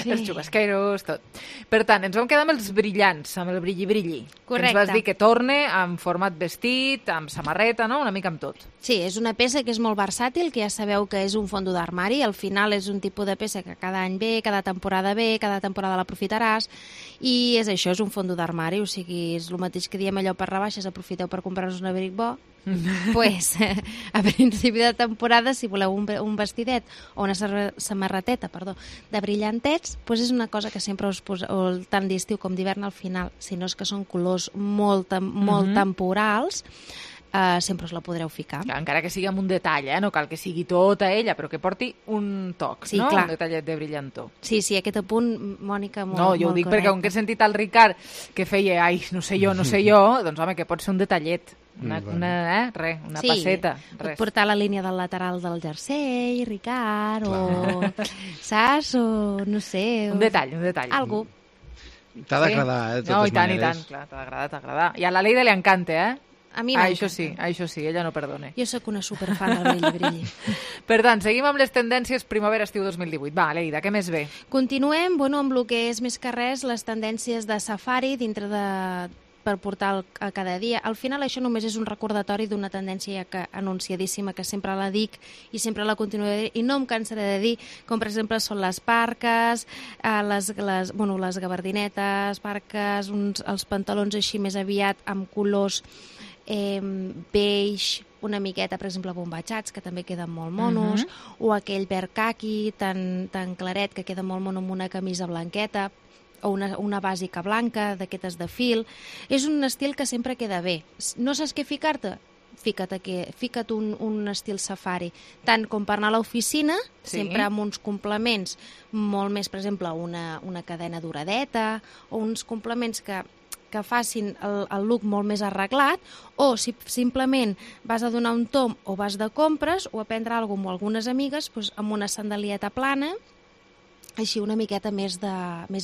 els xubasqueros, tot. Per tant, ens vam quedar amb els brillants, amb el brilli-brilli. Correcte. Ens vas dir que torne en format vestit, amb samarreta, no? Una mica amb tot. Sí, és una peça que és molt versàtil, que ja sabeu que és un fondo d'armari, al final és un tipus de peça que cada any ve, cada temporada l'aprofitaràs, i és això, és un fondo d'armari, o sigui, és el mateix que diem allò per rebaixes, aprofiteu per comprar-vos un abric bo, pues, a principi de temporada, si voleu un vestidet o una samarreteta, de brillantets, pues és una cosa que sempre us poso, tant d'estiu com d'hivern al final, si no és que són colors molt temporals, sempre us la podreu ficar. Clar, encara que sigui amb un detall, no cal que sigui tota ella, però que porti un toc, sí, no? Clar. Un detallet de brillantor. Sí, aquest apunt, Mònica, molt No, jo ho dic correcte. perquè com que he sentit el Ricard que feia, no sé jo, doncs home, que pot ser un detallet, una passeta. Pot portar la línia del lateral del jersei, Ricard, o saps, o no sé. Un detall. Algú. T'ha d'agradar, de totes no, i tant, maneres. clar, t'ha d'agradar. I a la Leida li encanta, A mi m'encanta. Això sí, ella no perdona. Jo sóc una superfan del brilli. Per tant, seguim amb les tendències primavera-estiu 2018. Va, Leida, què més ve? Continuem, amb el que és més que res les tendències de safari dintre per portar a cada dia. Al final això només és un recordatori d'una tendència anunciadíssima que sempre la dic i sempre la continuaré i no em cansaré de dir, com per exemple són les parques, les gabardinetes, parques, els pantalons així més aviat amb colors beige, una miqueta, per exemple, bombatxats, que també queden molt monos, o aquell verd caqui tan claret que queda molt mono amb una camisa blanqueta, o una bàsica blanca, d'aquestes de fil. És un estil que sempre queda bé. No saps què ficar-te? Fica't un estil safari, tant com per anar a l'oficina, sempre amb uns complements molt més, per exemple, una cadena doradeta, o uns complements que facin el look molt més arreglat, o si simplement vas a donar un tomb o vas de compres o a prendre alguna cosa amb algunes amigues, doncs amb una sandalieta plana, així una miqueta més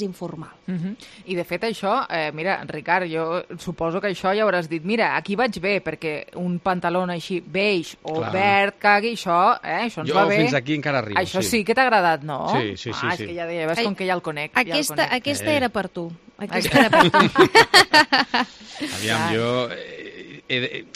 informal. I de fet això, mira, Ricard, jo suposo que això ja hauràs dit, mira, aquí vaig bé, perquè un pantaló així beige o verd cagui, això ens va bé. Jo fins aquí encara arribo. Això sí que t'ha agradat, no? Sí. És que ja ves com que ja el conec. Aquesta era per tu. Aquesta era per tu. Aviam, jo...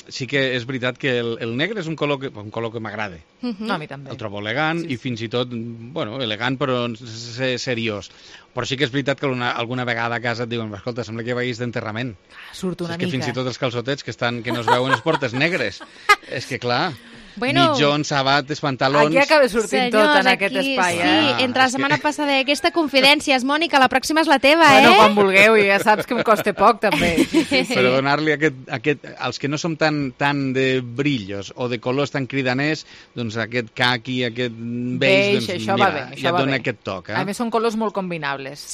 sí que és veritat que el negre és un color que m'agrada. A mi també. El trobo elegant i fins i tot, elegant però seriós. Però sí que és veritat que alguna vegada a casa et diuen, escolta, sembla que vagis d'enterrament. Surt una mica. És que fins i tot els calçotets que no es veuen les portes negres. És que clar... mitjons, sabates, pantalons... Aquí acaba sortint tot en aquest espai. Sí, entre la setmana passada i aquesta confidències, Mònica, la pròxima és la teva, quan vulgueu, i ja saps que em costa poc, també. Però donar-li als que no som tan de brillos o de colors tan cridaners, doncs aquest caqui, aquest beige, doncs mira, ja dona aquest toc. A més, són colors molt combinables,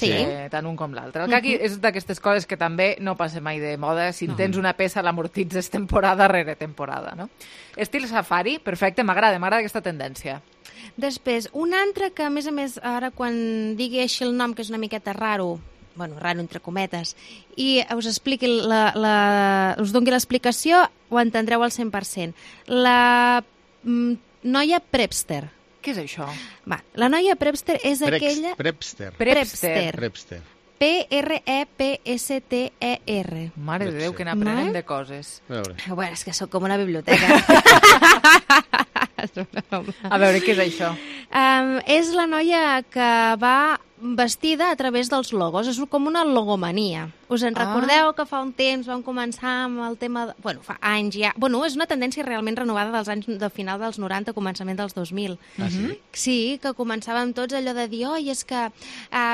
tant un com l'altre. El caqui és d'aquestes coses que també no passa mai de moda. Si tens una peça, l'amortitzes temporada rere temporada, no? Estil safari, perfecte, m'agrada aquesta tendència. Després, un altre que, a més, ara quan digui així el nom, que és una miqueta raro entre cometes, i us expliqui us doni l'explicació, ho entendreu al 100%. La noia prepster. Què és això? La noia prepster és aquella... Prepster. P-R-E-P-S-T-E-R. Mare de Déu, que n'aprenem de coses. Bueno, és que sóc com una biblioteca. A veure, què és això? És la noia que va vestida a través dels logos. És com una logomania. Us en recordeu que fa un temps vam començar amb el tema... Fa anys ja... és una tendència realment renovada dels anys de final dels 90, començament dels 2000. Sí, que començàvem tots allò de dir, és que...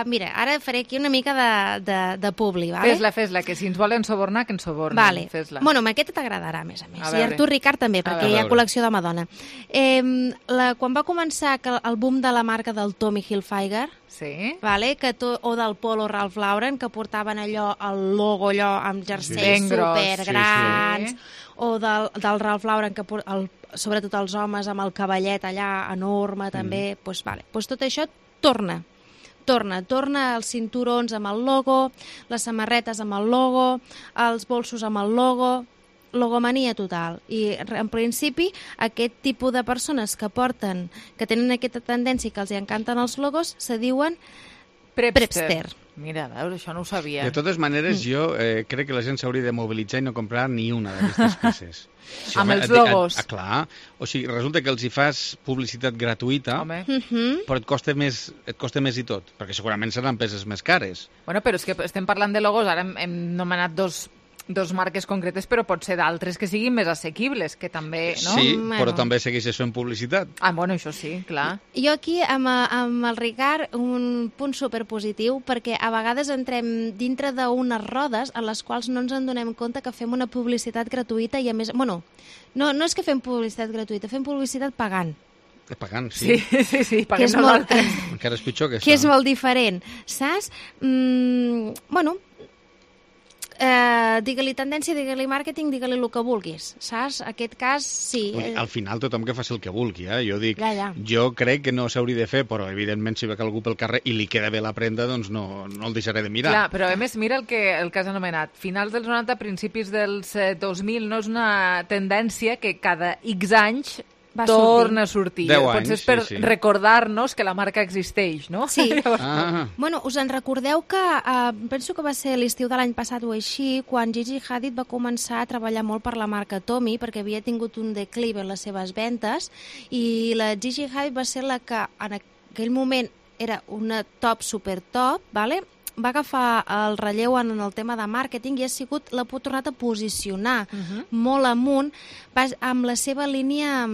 mira, ara faré aquí una mica de publi, vale? Fes-la, que si ens volen subornar, que ens subornin. Vale. Fes-la. Amb aquesta t'agradarà, a més. I a tu, Ricard, també, perquè hi ha col·lecció de Madonna. Quan va començar el boom de la marca del Tommy Hilfiger, o del Polo Ralph Lauren, que portaven allò, el logo allò amb jerseis supergrans, o del Ralph Lauren, que sobretot els homes amb el cavallet allà enorme també, doncs tot això torna els cinturons amb el logo, les samarretes amb el logo, els bolsos amb el logo, logomania total. I en principi aquest tipus de persones que tenen aquesta tendència que els encanten els logos se diuen prepster. Mira, a veure, això no ho sabia. De totes maneres, jo crec que la gent s'hauria de mobilitzar i no comprar ni una d'aquestes peces. Amb els logos. Clar. O sigui, resulta que els hi fas publicitat gratuïta, però et costa més i tot, perquè segurament seran peces més cares. Però és que estem parlant de logos, ara hem nomenat dos dos marques concretes, però pot ser d'altres que siguin més assequibles, que també, no? Sí, però també segueixes fent publicitat. Bueno, això sí, clar. Jo aquí, amb el Ricard, un punt superpositiu, perquè a vegades entrem dintre d'unes rodes en les quals no ens en donem compte que fem una publicitat gratuïta i a més... Bueno, no és que fem publicitat gratuïta, fem publicitat pagant. Pagant, sí. Sí, paguem nosaltres. Encara és pitjor que això. Que és molt diferent, saps? Bueno... digue-li tendència, digue-li màrqueting, digue-li el que vulguis, saps? Aquest cas, sí. Al final tothom que faci el que vulgui, Jo dic, ja. Jo crec que no s'hauria de fer, però evidentment si ve algú pel carrer i li queda bé la prenda, doncs no el deixaré de mirar. Clar, però a més, mira el que has anomenat. Finals dels 90, principis dels 2000, no és una tendència que cada X anys torna a sortir. 10 anys, potser és per recordar-nos que la marca existeix, no? Sí. Bueno, us en recordeu que penso que va ser l'estiu de l'any passat o així, quan Gigi Hadid va començar a treballar molt per la marca Tommy, perquè havia tingut un declive en les seves ventes, i la Gigi Hadid va ser la que en aquell moment era una top, super top, vale? Va agafar el relleu en el tema de màrqueting i l'ha tornat a posicionar molt amunt amb la seva línia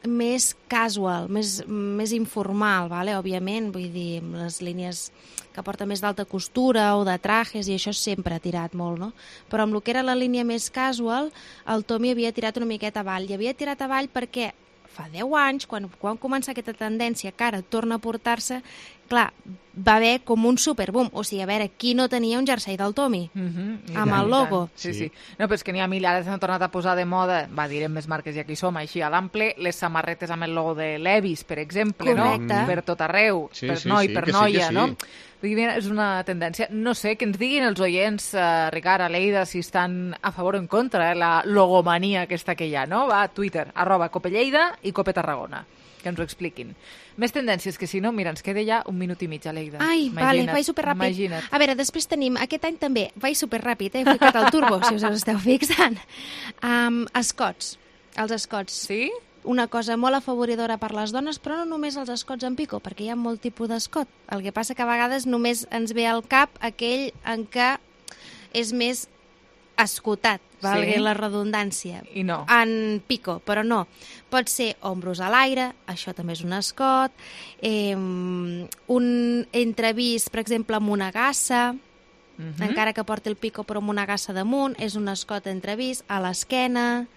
més casual, més informal, vale? Òbviament, vull dir, les línies que porta més d'alta costura o de trajes, i això sempre ha tirat molt, no? Però amb el que era la línia més casual, el Tommy havia tirat una miqueta avall. I havia tirat avall perquè fa 10 anys, quan comença aquesta tendència que ara torna a portar-se, clar, va haver com un superboom. O sigui, a veure, qui no tenia un jersei del Tommy? Amb el logo. Sí. No, però és que n'hi ha mil, ara s'han tornat a posar de moda, direm més marques i aquí som, així a l'ample, les samarretes amb el logo de Levi's, per exemple, no? Per tot arreu, per noi, per noia, no? És una tendència. No sé, que ens diguin els oients, Ricard, Aleida, si estan a favor o en contra, la logomania aquesta que hi ha, no? Va a Twitter, @CopeLleida i Cope Tarragona, que ens ho expliquin. Més tendències, que si no, mira, ens queda ja 1 minut i mig, Aleida. Ai, vale, vaig superràpid. Imagina't. A veure, després tenim, aquest any també, vaig superràpid, he ficat el turbo, si us esteu fixant. Escots, els escots. Sí? Una cosa molt afavoridora per les dones, però no només els escots en pico, perquè hi ha molt tipus d'escot. El que passa que a vegades només ens ve al cap aquell en què és més escotat, valgui la redundància. I no. En pico, però no. Pot ser ombros a l'aire, això també és un escot, un entrevist, per exemple, amb una gassa, encara que porti el pico però amb una gassa damunt, és un escot entrevist, a l'esquena,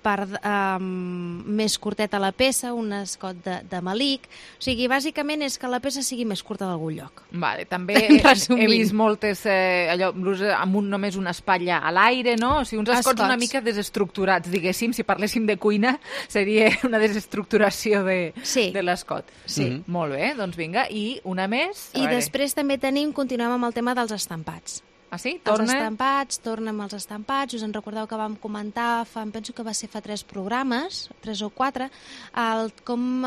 més curteta la peça, un escot de malic. O sigui, bàsicament és que la peça sigui més curta d'algun lloc. Vale, també he vist moltes, amb només una espatlla a l'aire, no? O sigui, uns escots una mica desestructurats, diguéssim. Si parléssim de cuina, seria una desestructuració de l'escot. Sí. Molt bé, doncs vinga. I una més? I després també continuem amb el tema dels estampats. Ah, sí? Els estampats, torna amb els estampats. Us en recordeu que vam comentar, penso que va ser fa 3 programes, 3 o 4, com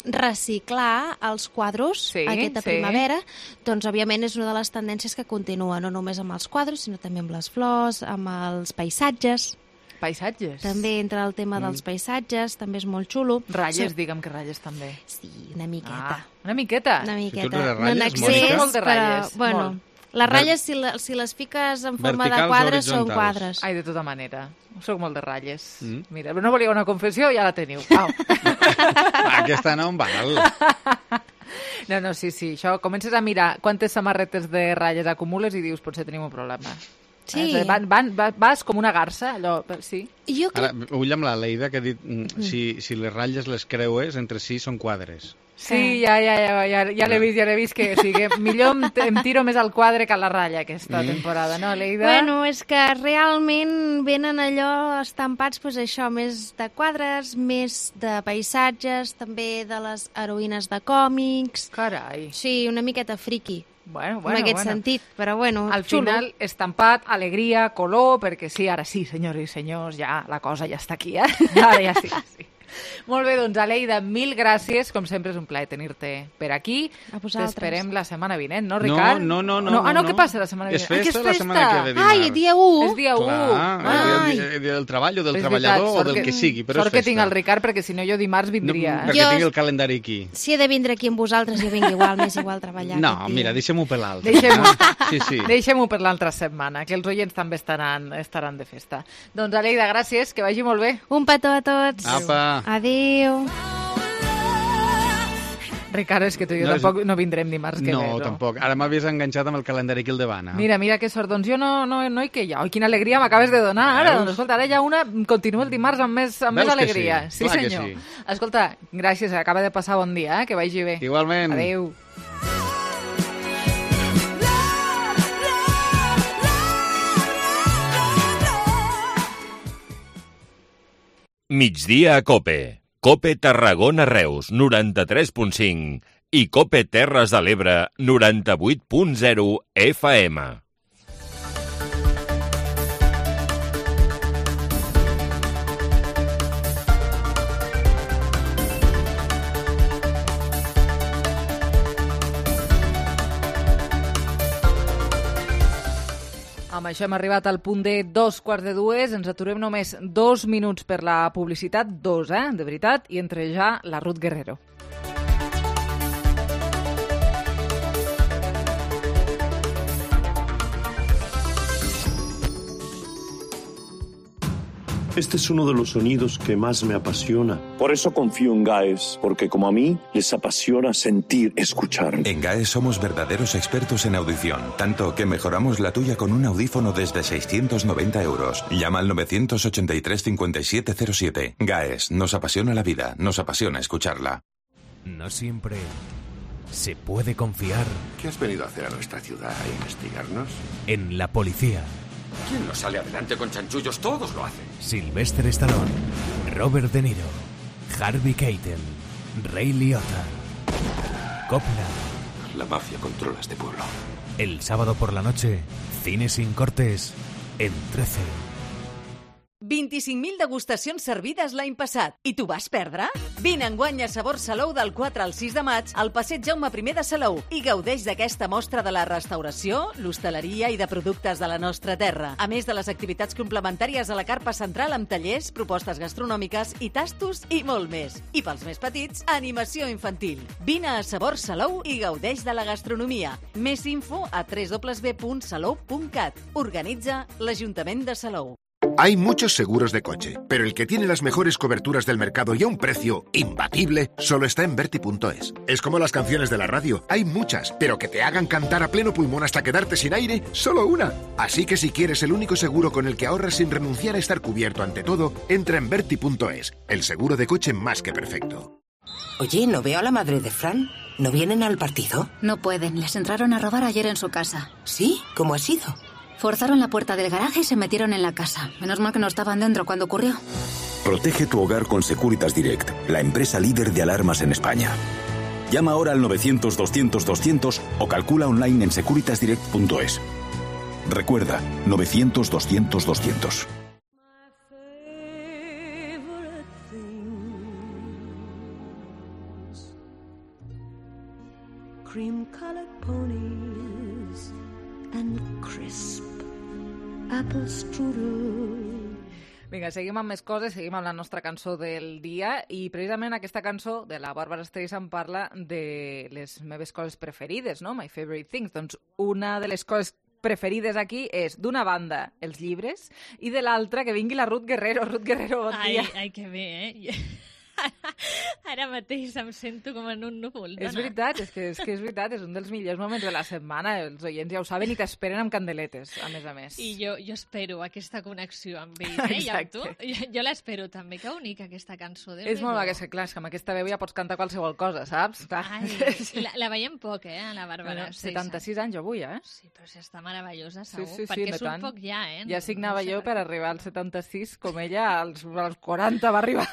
reciclar els quadros aquesta primavera. Doncs, òbviament, és una de les tendències que continua, no només amb els quadros, sinó també amb les flors, amb els paisatges. Paisatges? També entra el tema dels paisatges, també és molt xulo. Ratlles, digue'm que ratlles també. Sí, una miqueta. Una miqueta? Una miqueta. No en excés, molt de ratlles. Bueno, les ratlles, si les fiques en forma de quadres, són quadres. Ai, de tota manera. Soc molt de ratlles. Mira, però no volia una confessió, ja la teniu. Aquesta no em val. No, sí, això. Comences a mirar quantes samarretes de ratlles acumules i dius, potser tenim un problema. Sí. Vas com una garça, allò, sí. Ara, ull amb la Leida, que ha dit, si les ratlles les creues, entre si són quadres. Sí, ja l'he vist, que o sigui, millor em tiro més al quadre que a la ratlla aquesta temporada, no, Leida? Bueno, és que realment venen allò estampats, doncs això, més de quadres, més de paisatges, també de les heroïnes de còmics. Carai. Sí, una miqueta friki. Bueno. En aquest sentit, però bueno, al final, estampat, alegria, color, perquè sí, ara sí, senyores i senyors, ja la cosa ja està aquí, Ara ja sí. Molt bé, doncs, Aleida, mil gràcies. Com sempre és un plaer tenir-te per aquí. T'esperem la setmana vinent, no, Ricard? No. Què passa la setmana vinent? És festa la setmana que ve dimarts. Ai, dia 1. És dia 1. Clar, del treball o del treballador o del que sigui, però és festa. Sort que tinc el Ricard, perquè si no jo dimarts vindria. Perquè tinc el calendari aquí. Si he de vindre aquí amb vosaltres, jo vinc igual, m'és igual treballar. No, mira, deixem-ho per l'altre. Deixem-ho per l'altra setmana, que els oients també estaran de festa. Doncs, Aleida, gràcies, que vagi molt bé. Un petó a tots. Apa. Adéu. Ricard, és que tu i jo tampoc no vindrem dimarts que ve. No, tampoc. Ara m'havies enganxat amb el calendari aquí al davant. Mira que sort. Doncs jo no hi que hi ha. Quina alegria m'acabes de donar ara. Doncs escolta, ara ja continua el dimarts amb més alegria. Sí, senyor. Escolta, gràcies, acaba de passar bon dia, que vagi bé. Igualment. Adéu. Migdia a COPE. COPE Tarragona Reus, 93.5 i COPE Terres de l'Ebre, 98.0 FM. Amb això hem arribat al punt de 2:45. Ens aturem només 2 minuts per la publicitat, 2, de veritat, i entre ja la Ruth Guerrero. Este es uno de los sonidos que más me apasiona. Por eso confío en GAES, porque como a mí, les apasiona sentir, escuchar. En GAES somos verdaderos expertos en audición, tanto que mejoramos la tuya con un audífono desde 690 euros. Llama al 983 5707. GAES, nos apasiona la vida, nos apasiona escucharla. No siempre se puede confiar. ¿Qué has venido a hacer a nuestra ciudad? ¿A investigarnos? En la policía. ¿Quién no sale adelante con chanchullos? Todos lo hacen. Sylvester Stallone, Robert De Niro, Harvey Keitel, Ray Liotta, Coppola. La mafia controla este pueblo. El sábado por la noche, Cine sin cortes, en 13. 25.000 degustacions servides l'any passat. I tu vas perdre? Vine enguany a Sabor Salou del 4 al 6 de maig al passeig Jaume I de Salou i gaudeix d'aquesta mostra de la restauració, l'hostaleria i de productes de la nostra terra. A més de les activitats complementàries a la carpa central amb tallers, propostes gastronòmiques i tastos i molt més. I pels més petits, animació infantil. Vine a Sabor Salou i gaudeix de la gastronomia. Més info a www.salou.cat. Organitza l'Ajuntament de Salou. Hay muchos seguros de coche, pero el que tiene las mejores coberturas del mercado y a un precio imbatible solo está en Verti.es. Es como las canciones de la radio, hay muchas, pero que te hagan cantar a pleno pulmón hasta quedarte sin aire, solo una. Así que si quieres el único seguro con el que ahorras sin renunciar a estar cubierto ante todo, entra en Verti.es, el seguro de coche más que perfecto. Oye, ¿no veo a la madre de Fran? ¿No vienen al partido? No pueden, les entraron a robar ayer en su casa. ¿Sí? ¿Cómo ha sido? Forzaron la puerta del garaje y se metieron en la casa. Menos mal que no estaban dentro cuando ocurrió. Protege tu hogar con Securitas Direct, la empresa líder de alarmas en España. Llama ahora al 900-200-200 o calcula online en securitasdirect.es. Recuerda, 900-200-200. Cream-colored ponies and crisp apple strudel. Vinga, seguim amb més coses, seguim amb la nostra cançó del dia i precisament aquesta cançó de la Barbara Streisand parla de les meves coses preferides, no? My favorite things. Doncs una de les coses preferides aquí és, d'una banda, els llibres i de l'altra, que vingui la Ruth Guerrero. Ruth Guerrero, bon dia. Ai, que bé, Ara mateix em sento com en un núvol. És veritat, és que és veritat, és un dels millors moments de la setmana, els oients ja ho saben i t'esperen amb candeletes, a més. I jo espero aquesta connexió amb ells, i amb tu. Jo l'espero també, que única aquesta cançó. És molt que clar, és que amb aquesta veu ja pots cantar qualsevol cosa, saps? Ai, la veiem poc, la Bàrbara. 76 anys avui, Sí, però si està meravellosa, segur, sí, perquè surt poc ja, Ja signava jo per arribar als 76, com ella als 40 va arribar.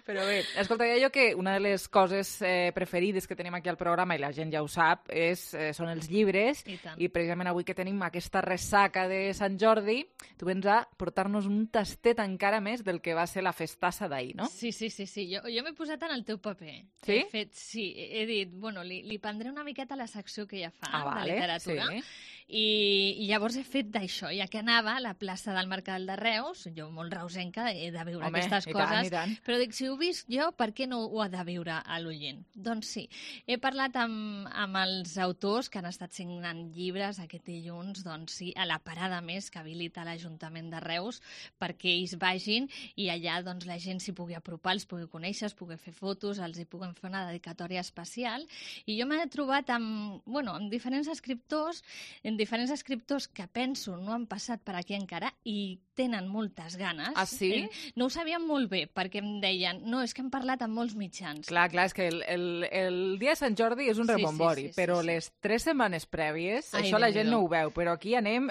Però bé, escolta, jo que una de les coses preferides que tenim aquí al programa, i la gent ja ho sap, són els llibres, i precisament avui que tenim aquesta ressaca de Sant Jordi, tu vens a portar-nos un tastet encara més del que va ser la festassa d'ahir, no? Sí. Jo m'he posat en el teu paper. Sí? He dit, bueno, li prendré una miqueta la secció que ja fa de literatura, i llavors he fet d'això, ja que anava a la plaça del Mercat de Reus, jo molt reusenca, he de veure aquestes coses, però dic, si ho visc jo, per què no ho ha de veure a l'oient? Doncs sí, he parlat amb els autors que han estat signant llibres aquest dilluns, doncs sí, a la parada més que habilita l'Ajuntament de Reus perquè ells vagin i allà doncs la gent s'hi pugui apropar, els pugui conèixer, es pugui fer fotos, els hi puguin fer una dedicatòria especial, i jo m'he trobat amb diferents escriptors que penso no han passat per aquí encara i tenen moltes ganes. Ah, sí? No ho sabien molt bé, perquè em deien, no, és que hem parlat amb molts mitjans. Clar, és que el dia de Sant Jordi és un rebombori, però les 3 setmanes prèvies, això la gent no ho veu, però aquí anem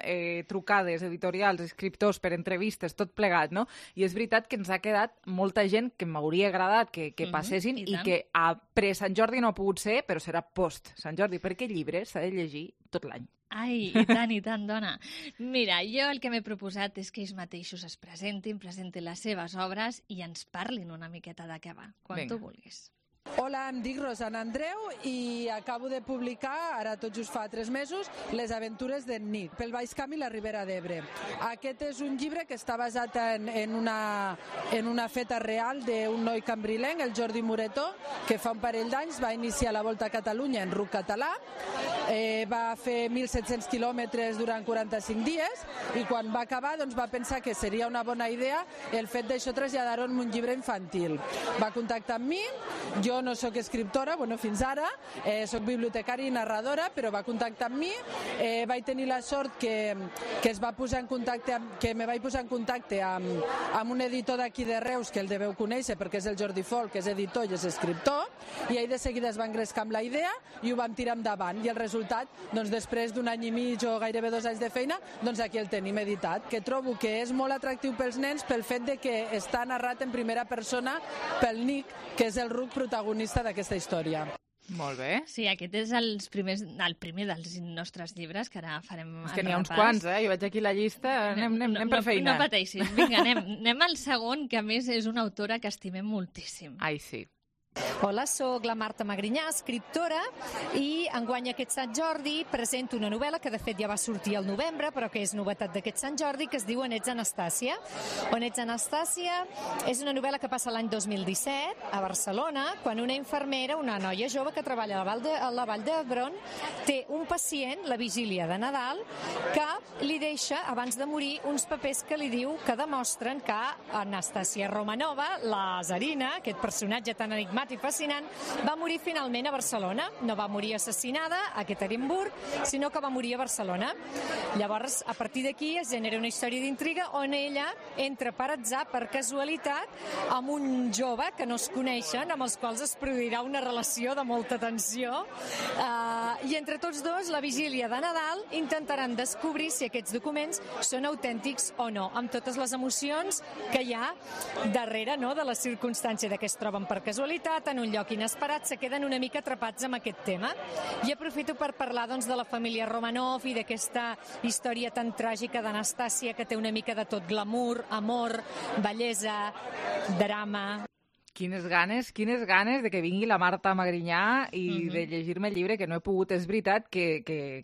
trucades, editorials, escriptors per entrevistes, tot plegat, no? I és veritat que ens ha quedat molta gent que m'hauria agradat que passessin i que a pre-Sant Jordi no ha pogut ser, però serà post-Sant Jordi, perquè llibres s'ha de llegir tot l'any. Ai, i tant, dona. Mira, jo el que m'he proposat és que ells mateixos es presentin les seves obres i ens parlin una miqueta de què va, quan tu vulguis. Hola, em dic Rosana Andreu i acabo de publicar, ara tot just fa 3 mesos, Les aventures d'en Nick, pel Baix Camp i la Ribera d'Ebre. Aquest és un llibre que està basat en una feta real d'un noi cambrilenc, el Jordi Moretó, que fa un parell d'anys va iniciar la Volta a Catalunya en ruc català, va fer 1.700 quilòmetres durant 45 dies i quan va acabar doncs, va pensar que seria una bona idea el fet d'això traslladar-ho en un llibre infantil. Va contactar amb mi, jo no sóc escriptora, fins ara, sóc bibliotecària i narradora, però va contactar amb mi, vaig tenir la sort que me vaig posar en contacte amb un editor d'aquí de Reus, que el deveu conèixer perquè és el Jordi Folk, que és editor i és escriptor, i ell de seguida es va engrescar amb la idea i ho vam tirar endavant, i el resultat, després d'un any i mig o gairebé 2 anys de feina, aquí el tenim editat, que trobo que és molt atractiu pels nens pel fet de que està narrat en primera persona pel Nick, que és el ruc protagonista d'aquesta història. Molt bé. Sí, aquest és el primer dels nostres llibres, que ara farem el repàs. És que n'hi ha uns quants, jo veig aquí la llista, anem per feina. No pateixis, vinga, anem al segon, que a més és una autora que estimem moltíssim. Ai, sí. Hola, sóc la Marta Magrinyà, escriptora, i enguany aquest Sant Jordi presento una novel·la que de fet ja va sortir al novembre, però que és novetat d'aquest Sant Jordi, que es diu On ets Anastàcia. On ets Anastàcia és una novel·la que passa l'any 2017 a Barcelona, quan una infermera, una noia jove que treballa a la Vall d'Hebron, té un pacient, la vigília de Nadal, que li deixa, abans de morir, uns papers que li diu que demostren que Anastàcia Romanova, la Zarina, aquest personatge tan enigmàtic i fascinant, va morir finalment a Barcelona. No va morir assassinada a Ekaterinburg, sinó que va morir a Barcelona. Llavors, a partir d'aquí es genera una història d'intriga on ella entra per atzar, per casualitat, amb un jove que no es coneixen, amb els quals es produirà una relació de molta tensió. I entre tots dos, la vigília de Nadal, intentaran descobrir si aquests documents són autèntics o no, amb totes les emocions que hi ha darrere, no?, de la circumstància de que es troben per casualitat, en un lloc inesperat, se queden una mica atrapats amb aquest tema. I aprofito per parlar de la família Romanov i d'aquesta història tan tràgica d'Anastàcia, que té una mica de tot: glamour, amor, bellesa, drama. Quines ganes de que vingui la Marta Magrinyà i de llegir-me el llibre, que no he pogut. És veritat que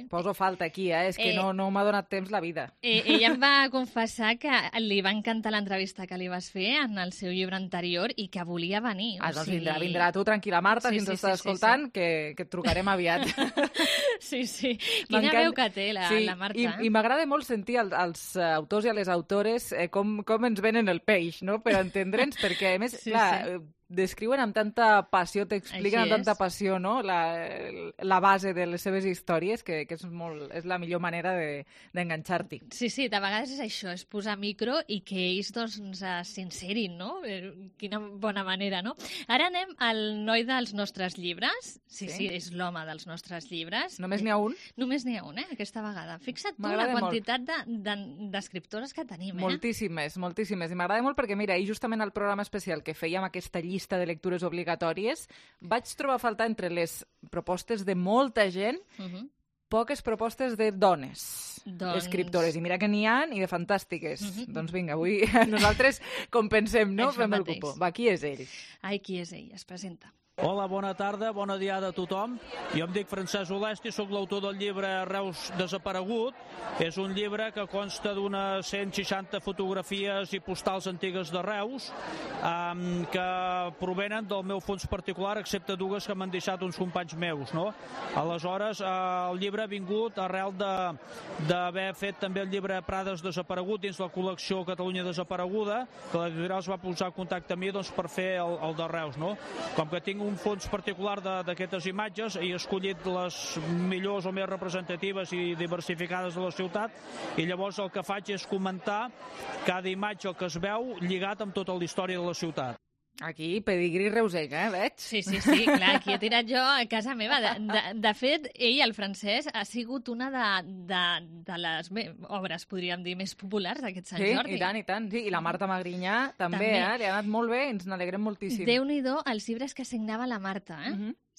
poso falta aquí, és que no m'ha donat temps la vida. Ella em va confessar que li va encantar l'entrevista que li vas fer en el seu llibre anterior i que volia venir. Doncs vindrà tu tranquil·la, Marta, si ens estàs escoltant, que et trucarem aviat. Sí. Quina veu que té la Marta. I m'agrada molt sentir als autors i a les autores com ens venen el peix, no?, per entendre'ns, perquè a més, clar, descriuen amb tanta passió, t'expliquen amb tanta passió, no? La base de les seves històries, que és la millor manera d'enganxar-t'hi. Sí, de vegades és això, és posar micro i que ells doncs sincerin, no? Quina bona manera, no? Ara anem al noi dels nostres llibres. Sí, és l'home dels nostres llibres. Només n'hi ha un? Només n'hi ha un, aquesta vegada. Fixa't tu la quantitat d'escriptores que tenim, Moltíssimes. I m'agrada molt perquè, mira, ahir justament al programa especial que fèiem aquesta llista de lectures obligatòries, vaig trobar a faltar entre les propostes de molta gent poques propostes de dones escriptores. I mira que n'hi ha i de fantàstiques. Doncs vinga, avui nosaltres compensem, no? Fem el cupó. Va, qui és ell? Ai, qui és ell? Es presenta. Hola, bona tarda, bona diada a tothom. Jo em dic Francesc Olesti, soc l'autor del llibre Reus desaparegut. És un llibre que consta d'unes 160 fotografies i postals antigues de Reus que provenen del meu fons particular, excepte dues que m'han deixat uns companys meus, no? Aleshores, el llibre ha vingut arrel d'haver fet també el llibre Prades desaparegut dins la col·lecció Catalunya desapareguda, que l'editorial es va posar en contacte amb mi per fer el de Reus, no? Com que tinc un fons particular d'aquestes imatges, he escollit les millors o més representatives i diversificades de la ciutat, i llavors el que faig és comentar cada imatge que es veu lligat amb tota la història de la ciutat. Aquí, pedigrí reusenc, veig? Sí, clar, aquí he tirat jo a casa meva. De fet, ell, el Francesc, ha sigut una de les obres, podríem dir, més populars d'aquest Sant Jordi. Sí, i tant. Sí, i la Marta Magrinyà també. Li ha anat molt bé i ens n'alegrem moltíssim. Déu-n'hi-do els llibres que signava la Marta,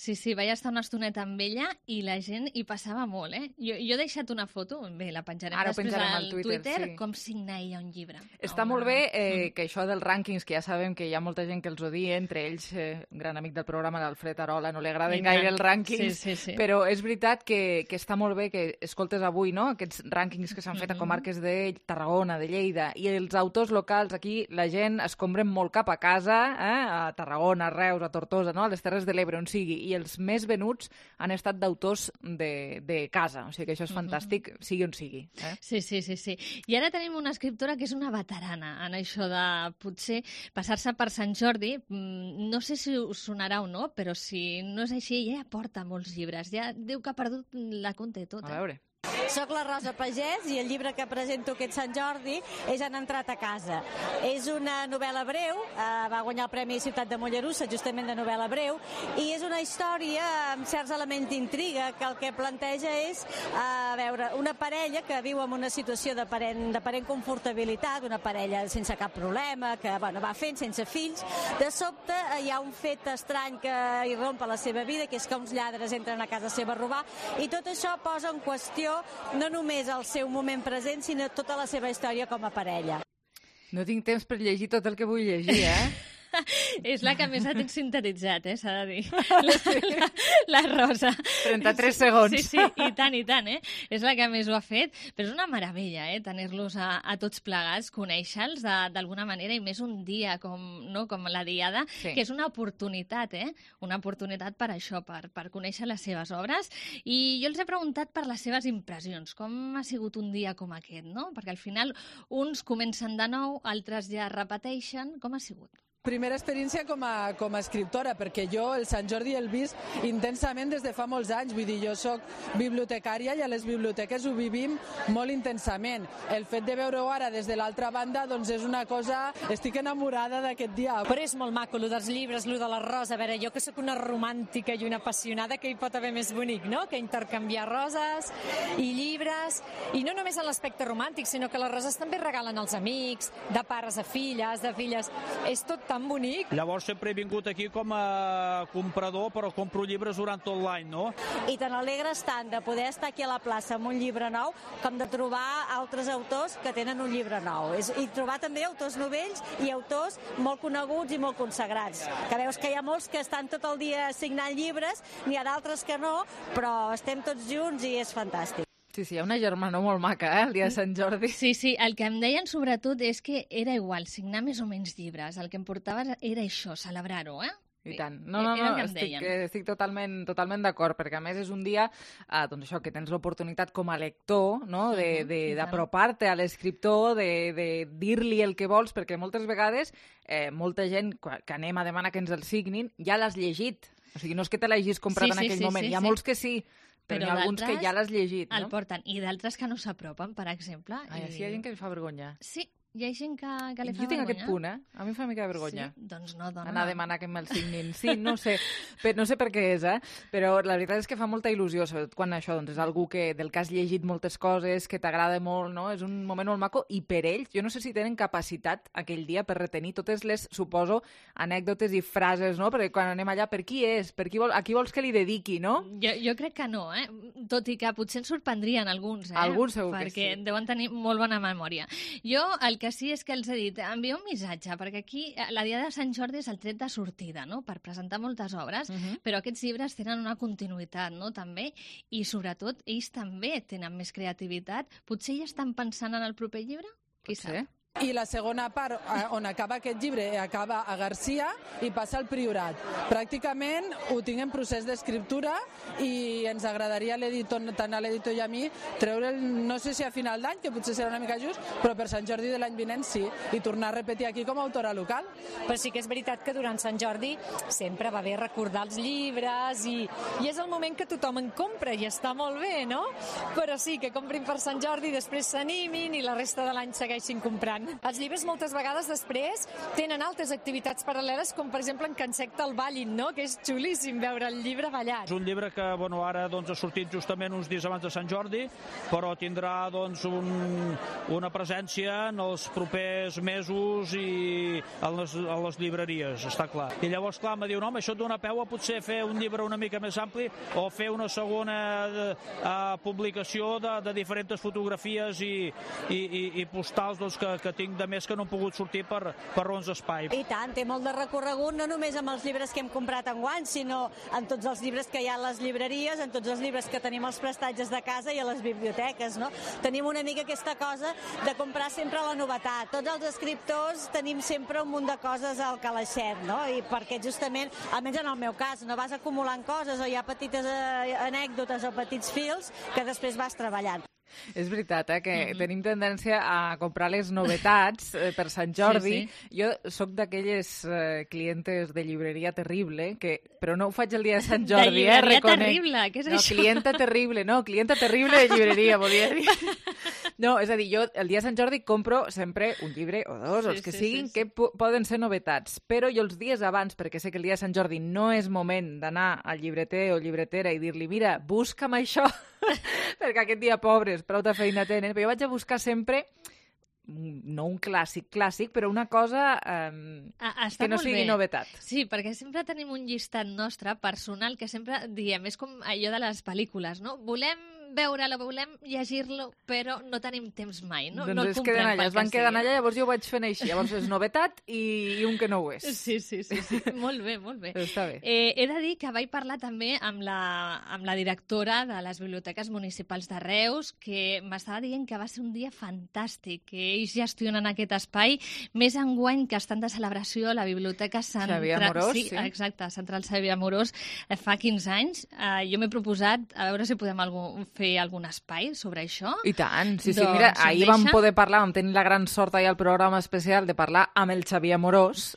Sí, vaig estar una estoneta amb ella i la gent hi passava molt, Jo he deixat una foto, bé, la penjarem després al Twitter, com signa ella un llibre. Està molt bé que això dels rànquings, que ja sabem que hi ha molta gent que els odia, entre ells un gran amic del programa, l'Alfred Arola, no li agraden gaire els rànquings, però és veritat que està molt bé que escoltes avui, no?, aquests rànquings que s'han fet a comarques de Tarragona, de Lleida, i els autors locals aquí, la gent es compren molt cap a casa, a Tarragona, a Reus, a Tortosa, no?, a les Terres de l'Ebre, on sigui, i els més venuts han estat d'autors de casa. O sigui que això és fantàstic, sigui on sigui. Sí. I ara tenim una escriptora que és una veterana en això de potser passar-se per Sant Jordi. No sé si us sonarà o no, però si no és així, ella porta molts llibres. Ja diu que ha perdut la compte tota. A veure. Soc la Rosa Pagès i el llibre que presento aquest Sant Jordi és Han entrat a casa. És una novel·la breu, va guanyar el Premi Ciutat de Mollerussa, justament de novel·la breu, i és una història amb certs elements d'intriga que el que planteja és una parella que viu en una situació d'aparent confortabilitat, una parella sense cap problema, que va fent sense fills. De sobte hi ha un fet estrany que irrompa la seva vida, que és que uns lladres entren a casa seva a robar, i tot això posa en qüestió no només el seu moment present, sinó tota la seva història com a parella. No tinc temps per llegir tot el que vull llegir, És la que més ha sintetitzat, s'ha de dir. La Rosa. 33 segons. Sí, i tant, És la que més ho ha fet, però és una meravella, tenir-los a tots plegats, conèixer-los d'alguna manera, i més un dia com la Diada, que és una oportunitat, Una oportunitat per això, per conèixer les seves obres. I jo els he preguntat per les seves impressions, com ha sigut un dia com aquest, no? Perquè al final uns comencen de nou, altres ja repeteixen. Com ha sigut? Primera experiència com a escriptora, perquè jo el Sant Jordi el vist intensament des de fa molts anys. Vull dir, jo soc bibliotecària i a les biblioteques ho vivim molt intensament. El fet de veure-ho ara des de l'altra banda, doncs és una cosa... Estic enamorada d'aquest dia. Però és molt maco, allò dels llibres, allò de la Rosa. A veure, jo que sóc una romàntica i una apassionada, que hi pot haver més bonic, no? Que intercanviar roses i llibres. I no només en l'aspecte romàntic, sinó que les roses també regalen als amics, de pares a filles, de filles... És tot tan bonic. Llavors sempre he vingut aquí com a comprador, però compro llibres durant tot l'any, no? I te n'alegres tant de poder estar aquí a la plaça amb un llibre nou com de trobar altres autors que tenen un llibre nou. I trobar també autors novells i autors molt coneguts i molt consagrats. Que veus que hi ha molts que estan tot el dia signant llibres, n'hi ha d'altres que no, però estem tots junts i és fantàstic. Sí, hi ha una germana molt maca, el dia de Sant Jordi. Sí, el que em deien sobretot és que era igual signar més o menys llibres. El que em portava era això, celebrar-ho, I tant. No, estic totalment d'acord, perquè a més és un dia doncs això, que tens l'oportunitat com a lector, no? D'apropar-te a l'escriptor, de dir-li el que vols, perquè moltes vegades molta gent que anem a demanar que ens el signin ja l'has llegit. O sigui, no és que te l'hagis comprat en aquell moment. Hi ha molts que sí, però hi ha alguns que ja l'has llegit. El porten, i d'altres que no s'apropen, per exemple. Sí, hi ha gent que li fa vergonya. Sí, hi ha gent que li fa vergonya. Jo tinc aquest punt, A mi em fa una mica de vergonya. Sí? Doncs no, dona. Anar a demanar que me'l signin. Sí, no sé per què és, però la veritat és que fa molta il·lusió, sobretot quan això doncs, és algú del que has llegit moltes coses, que t'agrada molt, no? És un moment molt maco, i per ells, jo no sé si tenen capacitat aquell dia per retenir totes les, suposo, anècdotes i frases, no? Perquè quan anem allà, per qui és? A qui vols que li dediqui, no? Jo crec que no, tot i que potser ens sorprendrien alguns, Alguns segur que sí. Perquè deuen tenir molt bona memòria. Jo el que sí és que els he dit, envia un missatge, perquè aquí la Diada de Sant Jordi és el tret de sortida, no?, per presentar moltes obres, però aquests llibres tenen una continuïtat, no?, també, i sobretot ells també tenen més creativitat. Potser ja estan pensant en el proper llibre? Qui sap? I la segona part, on acaba aquest llibre, acaba a Garcia i passa al Priorat. Pràcticament ho tinc en procés d'escriptura i ens agradaria tant a l'editor i a mi treure'l, no sé si a final d'any, que potser serà una mica just, però per Sant Jordi de l'any vinent sí, i tornar a repetir aquí com a autora local. Però sí que és veritat que durant Sant Jordi sempre va bé recordar els llibres i és el moment que tothom en compra i està molt bé, no? Però sí, que comprin per Sant Jordi, després s'animin i la resta de l'any segueixin comprant. Els llibres moltes vegades després tenen altres activitats paral·leles, com per exemple en Can Secta el ballin, no? Que és xulíssim veure el llibre ballat. És un llibre que ara ha sortit justament uns dies abans de Sant Jordi, però tindrà una presència en els propers mesos i a les llibreries, està clar. I llavors, clar, me diu, no, això et dona peu a potser fer un llibre una mica més ampli o fer una segona publicació de diferents fotografies i postals que tinc de més que no han pogut sortir per raons d'espai. I tant, té molt de recorregut, no només amb els llibres que hem comprat enguany, sinó en tots els llibres que hi ha a les llibreries, en tots els llibres que tenim als prestatges de casa i a les biblioteques, no? Tenim una mica aquesta cosa de comprar sempre la novetat. Tots els escriptors tenim sempre un munt de coses al calaixet, no? I perquè justament, almenys en el meu cas, no vas acumulant coses o hi ha petites anècdotes o petits fils que després vas treballant. És veritat, que tenim tendència a comprar les novetats per Sant Jordi. Sí. Jo sóc d'aquelles clientes de llibreria terrible, però no ho faig el dia de Sant Jordi. De llibreria terrible? Què és això? Clienta terrible de llibreria, volia dir. No, és a dir, jo el dia de Sant Jordi compro sempre un llibre o dos, els que siguin, que poden ser novetats. Però jo els dies abans, perquè sé que el dia de Sant Jordi no és moment d'anar al llibreter o llibretera i dir-li, mira, busca'm això, perquè aquest dia, pobres, prou de feina tenen, però jo vaig a buscar sempre no un clàssic, però una cosa que no sigui novetat. Sí, perquè sempre tenim un llistat nostre personal que sempre diem, és com allò de les pel·lícules, no? Volem veure-lo, volem llegir-lo, però no tenim temps mai, no? Doncs no es queden allà, es van quedant allà, llavors jo ho vaig fent així, llavors és novetat i un que no ho és. Sí. Molt bé. Està bé. He de dir que vaig parlar també amb la directora de les biblioteques municipals de Reus, que m'estava dient que va ser un dia fantàstic, que ells gestionen aquest espai, més enguany que estan de celebració a la Biblioteca Xavier Amorós. Sí, exacte, Central Xavier Amorós, fa 15 anys. Jo m'he proposat a veure si podem fer algun espai sobre això. I tant, sí, mira, ahir vam poder parlar, vam tenir la gran sort ahir al programa especial de parlar amb el Xavier Amorós,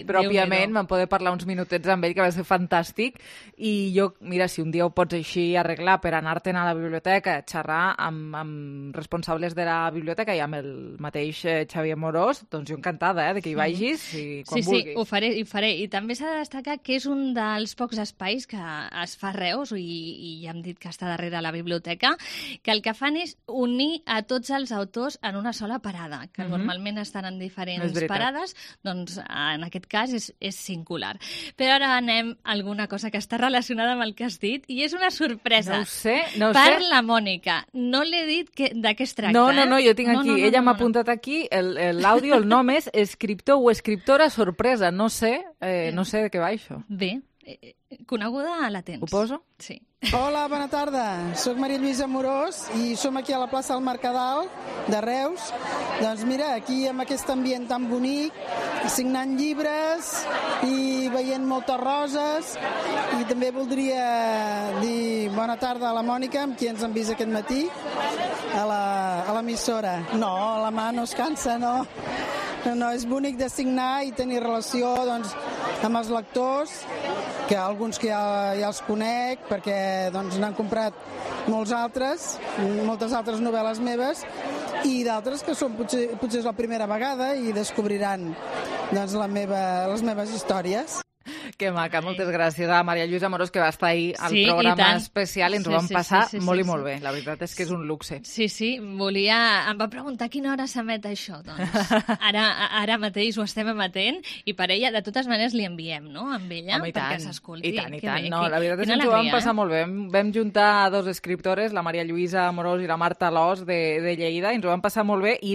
pròpiament, vam poder parlar uns minutets amb ell, que va ser fantàstic, i jo, mira, si un dia ho pots així arreglar per anar-te'n a la biblioteca, xerrar amb responsables de la biblioteca i amb el mateix Xavier Amorós, doncs jo encantada, de que hi vagis i quan vulguis. Sí, ho faré. I també s'ha de destacar que és un dels pocs espais que es fa a Reus, i ja hem dit que està darrere la biblioteca, que el que fan és unir a tots els autors en una sola parada, que normalment estan en diferents parades, doncs en aquest cas és singular. Però ara anem a alguna cosa que està relacionada amb el que has dit, i és una sorpresa. No ho sé. La Mònica. No l'he dit de què es tracta. No, jo tinc aquí, ella m'ha apuntat aquí, l'àudio, el nom és escriptor o escriptora sorpresa, no sé de què va això. Bé, coneguda la tens. Ho poso? Sí. Hola, bona tarda. Soc Maria Lluïsa Amorós i som aquí a la plaça del Mercadal de Reus. Doncs mira, aquí amb aquest ambient tan bonic, signant llibres i veient moltes roses. I també voldria dir bona tarda a la Mònica, amb qui ens han vist aquest matí, a l'emissora. No, la mà no es cansa, no. No, és bonic de signar i tenir relació doncs, amb els lectors, que alguns que ja els conec, perquè doncs, n'han comprat moltes altres novel·les meves, i d'altres que són potser és la primera vegada i descobriran doncs, les meves històries. Que maca, moltes gràcies a Maria Lluïsa Amorós, que va estar ahir al programa especial i ens ho vam passar molt i molt bé. La veritat és que és un luxe. Sí, em va preguntar a quina hora s'emet això. Doncs ara mateix ho estem emetent i per ella, de totes maneres, li enviem, no?, amb ella, perquè s'escolti. I tant. No, la veritat és que ens ho vam passar molt bé. Vam juntar dos escriptores, la Maria Lluïsa Amorós i la Marta Alòs de Lleida, i ens ho vam passar molt bé i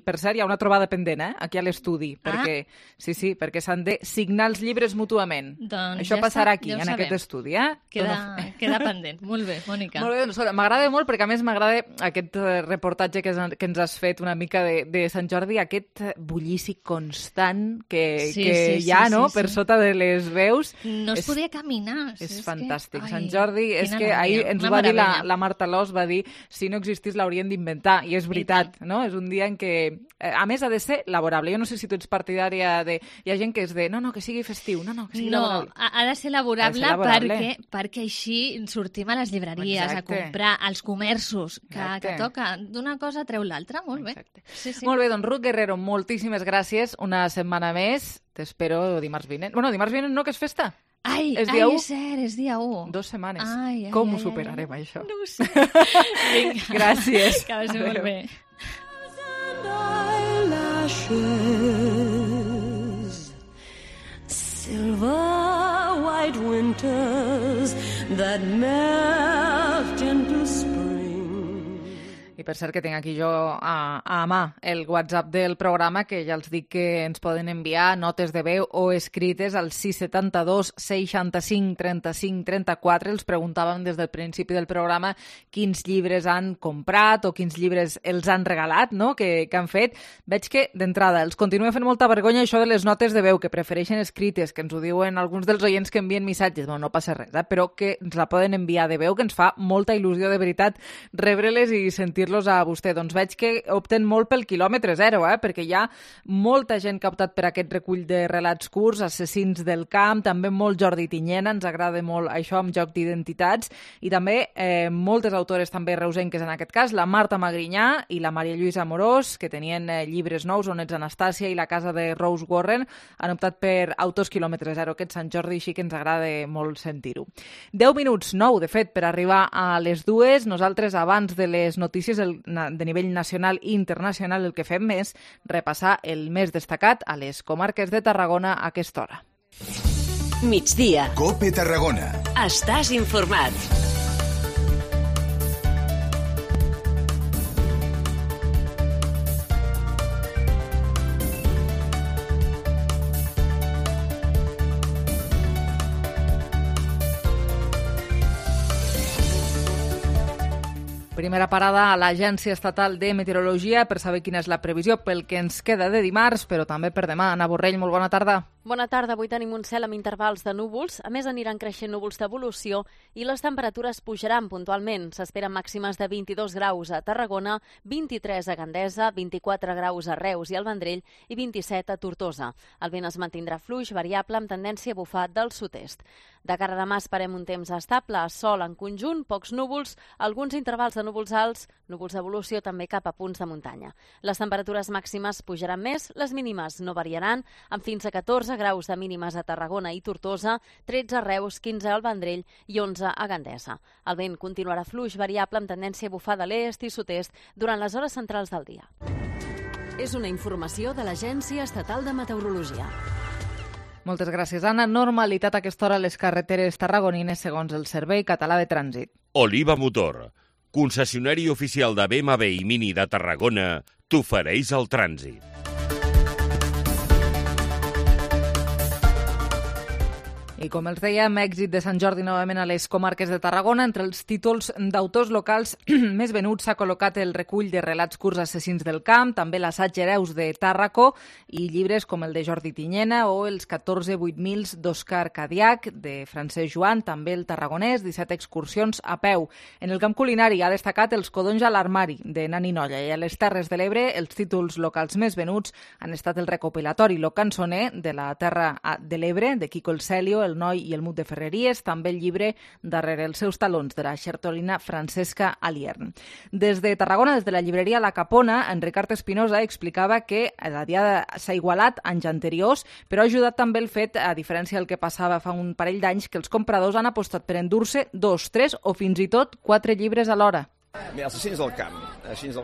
per cert, hi ha una trobada pendent, aquí a l'estudi, perquè s'han de signar els llibres mútuament. Doncs això passarà aquí, en aquest estudi, Queda pendent. Molt bé, Mònica. Molt bé, doncs m'agrada molt, perquè a més m'agrada aquest reportatge que ens has fet una mica de Sant Jordi, aquest bullici constant que hi ha, no?, per sota de les veus. No es podia caminar. És fantàstic. Sant Jordi, és que ahir ens ho va dir la Marta Alòs, va dir, si no existís l'haurien d'inventar, i és veritat, no? És un dia en què, a més, ha de ser laborable. Jo no sé si tu ets partidària de... Hi ha gent que és de, no, que sigui festiu, que sigui laborable. Ha de ser laborable perquè així sortim a les llibreries, a comprar, als comerços, que toca d'una cosa treu l'altra. Molt bé. Molt bé, doncs Ruth Guerrero, moltíssimes gràcies. Una setmana més. T'espero dimarts vinent. Bueno, dimarts vinent no, que és festa. És dia 1? És cert, és dia 1. 2 setmanes. Com ho superarem, això? No ho sé. Gràcies. Que vagi molt bé. Silver white winters that melt into spring. I per cert que tinc aquí jo a mà el WhatsApp del programa, que ja els dic que ens poden enviar notes de veu o escrites al 672 65 35 34. Els preguntàvem des del principi del programa quins llibres han comprat o quins llibres els han regalat, no?, que han fet. Veig que, d'entrada, els continua fent molta vergonya això de les notes de veu, que prefereixen escrites, que ens ho diuen alguns dels oients que envien missatges. No passa res, però que ens la poden enviar de veu, que ens fa molta il·lusió, de veritat, rebre-les i sentir-los a vostè. Doncs veig que opten molt pel quilòmetre zero, perquè hi ha molta gent que ha optat per aquest recull de relats curts, Assassins del camp, també molt Jordi Tinyena, ens agrada molt això amb Joc d'identitats, i també moltes autores també reusenques, en aquest cas, la Marta Magrinyà i la Maria Lluïsa Amorós, que tenien llibres nous, On ets Anastàcia i La casa de Rose Warren, han optat per autors quilòmetre zero, aquest Sant Jordi, així que ens agrada molt sentir-ho. 10 minuts, 9, de fet, per arribar a les 2. Nosaltres, abans de les notícies de nivell nacional i internacional, el que fem és repassar el més destacat a les comarques de Tarragona a aquesta hora. Migdia. COPE Tarragona. Estàs informat. Primera parada a l'Agència Estatal de Meteorologia per saber quina és la previsió pel que ens queda de dimarts, però també per demà. Anna Borrell, molt bona tarda. Bona tarda. Avui tenim un cel amb intervals de núvols. A més, aniran creixent núvols d'evolució i les temperatures pujaran puntualment. S'esperen màximes de 22 graus a Tarragona, 23 a Gandesa, 24 graus a Reus i al Vendrell i 27 a Tortosa. El vent es mantindrà fluix, variable, amb tendència a bufar del sud-est. De cara a demà esperem un temps estable, sol en conjunt, pocs núvols, alguns intervals de núvols alts, núvols d'evolució també cap a punts de muntanya. Les temperatures màximes pujaran més, les mínimes no variaran, amb fins a 14 graus de mínimes a Tarragona i Tortosa, 13 a Reus, 15 al Vendrell i 11 a Gandesa. El vent continuarà fluix, variable, amb tendència a bufar de l'est i sud-est durant les hores centrals del dia. És una informació de l'Agència Estatal de Meteorologia. Moltes gràcies, Anna. Normalitat a aquesta hora a les carreteres tarragonines segons el Servei Català de Trànsit. Oliva Motor, concessionari oficial de BMW i Mini de Tarragona, t'ofereix el trànsit. I com els dèiem, èxit de Sant Jordi novament a les comarques de Tarragona. Entre els títols d'autors locals més venuts s'ha col·locat el recull de relats curts assassins del camp, també l'assaig Hereus de Tàrraco i llibres com el de Jordi Tinyena o els 14 8000 d'Òscar Cadiac, de Francesc Joan, també el Tarragonès, 17 excursions a peu. En el camp culinari ha destacat els Codonys a l'armari, de Nani Nolla, i a les Terres de l'Ebre els títols locals més venuts han estat el recopilatori Lo Cançoner, de la Terra de l'Ebre, de Quico el Celio, el Noi i el Mut de Ferreries, també el llibre Darrere els seus talons, de la xertolina Francesca Aliern. Des de Tarragona, des de la llibreria La Capona, en Ricard Espinosa explicava que la diada s'ha igualat anys anteriors, però ha ajudat també el fet, a diferència del que passava fa un parell d'anys, que els compradors han apostat per endur-se 2, 3 o fins i tot 4 llibres alhora. Mira, els assassins del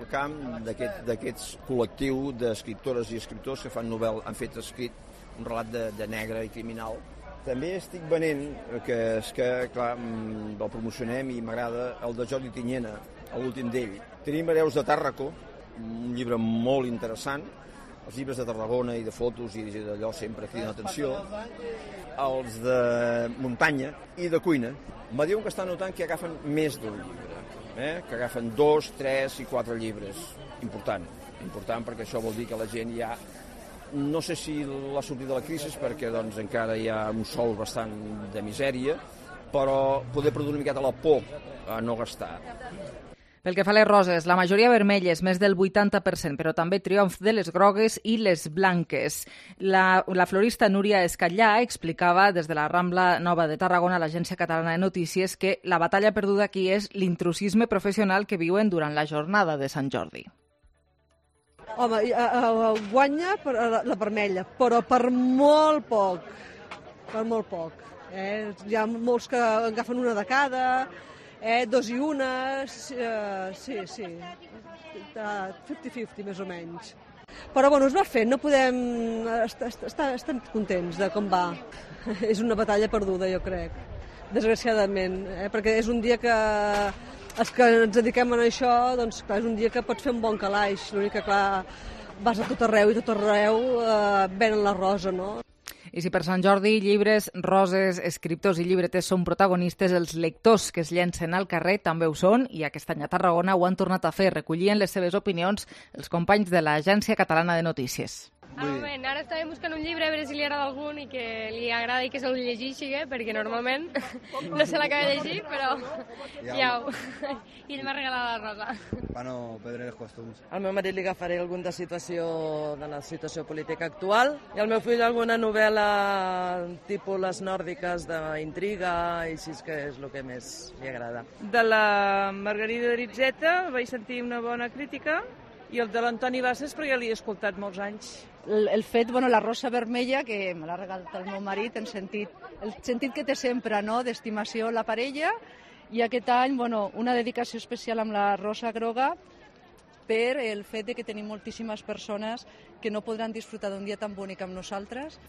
camp d'aquests col·lectiu d'escriptores i escriptors que han fet escrit un relat de negre i criminal. També estic venent, que és que, clar, el promocionem i m'agrada, el de Jordi Tinyena, l'últim d'ell. Tenim Hereus de Tàrraco, un llibre molt interessant, els llibres de Tarragona i de fotos i d'allò sempre criden l'atenció, els de muntanya i de cuina. Me diuen que estan notant que agafen més d'un llibre, que agafen 2, 3 i 4 llibres. Important perquè això vol dir que la gent ja... No sé si la sortida de la crisi perquè doncs, encara hi ha un sòl bastant de misèria, però poder produir una miqueta la por a no gastar. Pel que fa a les roses, la majoria vermelles, més del 80%, però també triomf de les grogues i les blanques. La florista Núria Escatllà explicava des de la Rambla Nova de Tarragona a l'Agència Catalana de Notícies que la batalla perduda aquí és l'intrusisme professional que viuen durant la jornada de Sant Jordi. Home, guanya la vermella, però per molt poc. Per molt poc. Hi ha molts que agafen una de cada, 2 i 1, sí. 50-50, més o menys. Però bueno, es va fent, no podem... Estem contents de com va. És una batalla perduda, jo crec, desgraciadament, perquè és un dia que... Els que ens dediquem a això, doncs, clar, és un dia que pots fer un bon calaix. L'únic que, clar, vas a tot arreu i tot arreu venen la rosa, no? I si per Sant Jordi llibres, roses, escriptors i llibreters són protagonistes, els lectors que es llencen al carrer també ho són, i aquest any a Tarragona ho han tornat a fer. Recollien les seves opinions els companys de l'Agència Catalana de Notícies. Moment, ara estàvem buscant un llibre a veure si li agrada algun i que li agrada i que se'l llegeixi, perquè normalment no se l'acaba de llegir, però ja ho... I ell m'ha regalat la rosa. Para no perdre els costums. Al meu marit li agafaré algun de la situació política actual i al meu fill alguna novel·la tipus les nòrdiques d'intriga i així que és el que més li agrada. De la Margarida Ritzeta vaig sentir una bona crítica i el de l'Antoni Bassas perquè l'he escoltat molts anys. El fet, la rosa vermella, que me l'ha regalat el meu marit, el sentit que té sempre, no?, d'estimació la parella, i aquest any, una dedicació especial amb la rosa groga per el fet de que tenim moltíssimes persones que no podran disfrutar d'un dia tan bonic amb nosaltres.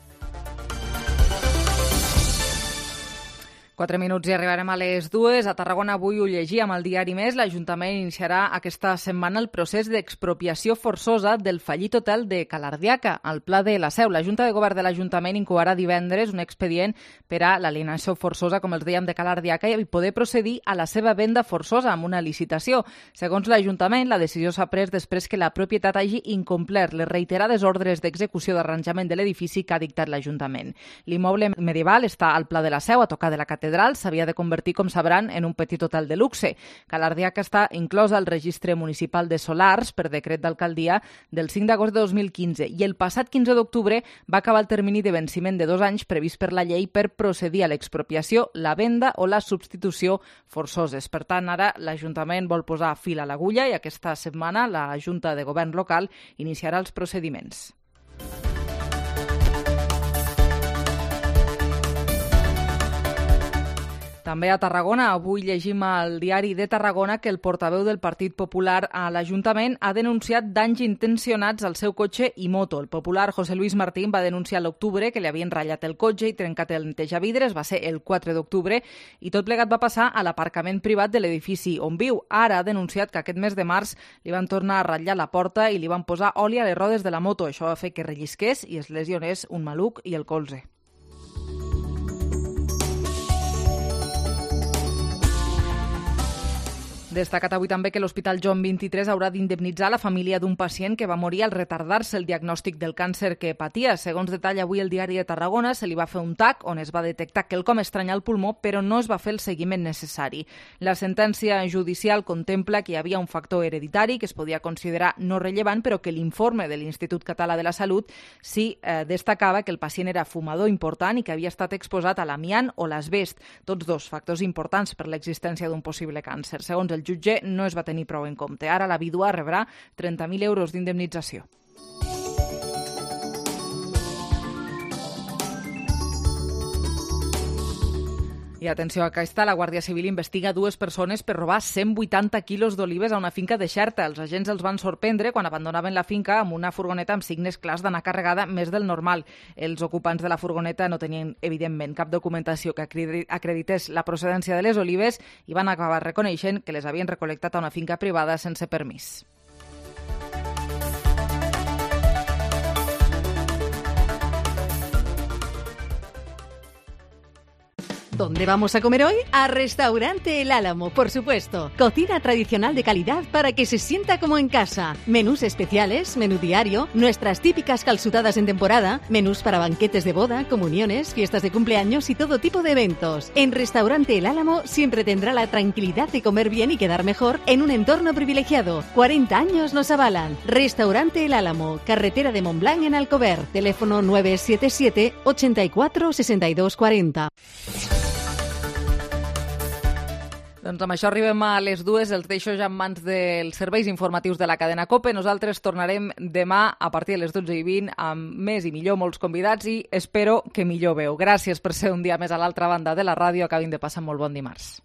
4 minuts i arribarem a les 2. A Tarragona avui ho llegíem al diari Més. L'Ajuntament iniciarà aquesta setmana el procés d'expropiació forçosa del fallit hotel de Calardiaca, al Pla de la Seu. La Junta de Govern de l'Ajuntament incoarà divendres un expedient per a l'alienació forçosa, com els dèiem, de Calardiaca i poder procedir a la seva venda forçosa amb una licitació. Segons l'Ajuntament, la decisió s'ha pres després que la propietat hagi incomplert les reiterades ordres d'execució d'arranjament de l'edifici que ha dictat l'Ajuntament. L'immoble medieval està al Pla de la Seu, a tocar de la catedral, s'havia de convertir, com sabran, en un petit hotel de luxe. Calardiaca està inclosa al registre municipal de solars per decret d'alcaldia del 5 d'agost de 2015 i el passat 15 d'octubre va acabar el termini de venciment de 2 anys previst per la llei per procedir a l'expropiació, la venda o la substitució forçoses. Per tant, ara l'Ajuntament vol posar fil a l'agulla i aquesta setmana la Junta de Govern local iniciarà els procediments. També a Tarragona, avui llegim al diari de Tarragona que el portaveu del Partit Popular a l'Ajuntament ha denunciat danys intencionats al seu cotxe i moto. El popular José Luis Martín va denunciar a l'octubre que li havien ratllat el cotxe i trencat el netejavidres, va ser el 4 d'octubre, i tot plegat va passar a l'aparcament privat de l'edifici on viu. Ara ha denunciat que aquest mes de març li van tornar a ratllar la porta i li van posar oli a les rodes de la moto. Això va fer que rellisqués i es lesionés un maluc i el colze. Destacat avui també que l'Hospital Joan XXIII haurà d'indemnitzar la família d'un pacient que va morir al retardar-se el diagnòstic del càncer que patia. Segons detalla avui el Diari de Tarragona, se li va fer un TAC on es va detectar quelcom estrany al pulmó, però no es va fer el seguiment necessari. La sentència judicial contempla que hi havia un factor hereditari que es podia considerar no rellevant, però que l'informe de l'Institut Català de la Salut sí destacava que el pacient era fumador important i que havia estat exposat a l'amiant o l'asbest, tots dos factors importants per l'existència d'un possible càncer. Segons el jutge, no es va tenir prou en compte. Ara la vídua rebrà 30.000 euros d'indemnització. I atenció, acá està, la Guàrdia Civil investiga 2 persones per robar 180 quilos d'olives a una finca de Xerta. Els agents els van sorprendre quan abandonaven la finca amb una furgoneta amb signes clars d'anar carregada més del normal. Els ocupants de la furgoneta no tenien, evidentment, cap documentació que acredités la procedència de les olives i van acabar reconeixent que les havien recol·lectat a una finca privada sense permís. ¿Dónde vamos a comer hoy? A Restaurante El Álamo, por supuesto. Cocina tradicional de calidad para que se sienta como en casa. Menús especiales, menú diario, nuestras típicas calzutadas en temporada, menús para banquetes de boda, comuniones, fiestas de cumpleaños y todo tipo de eventos. En Restaurante El Álamo siempre tendrá la tranquilidad de comer bien y quedar mejor en un entorno privilegiado. 40 años nos avalan. Restaurante El Álamo, carretera de Montblanc en Alcover. Teléfono 977 84 62 40. Doncs amb això arribem a les 2, els deixo ja en mans dels serveis informatius de la cadena COPE. Nosaltres tornarem demà a partir de les 12:20 amb més i millor molts convidats i espero que millor veu. Gràcies per ser un dia més a l'altra banda de la ràdio. Acabin de passar molt bon dimarts.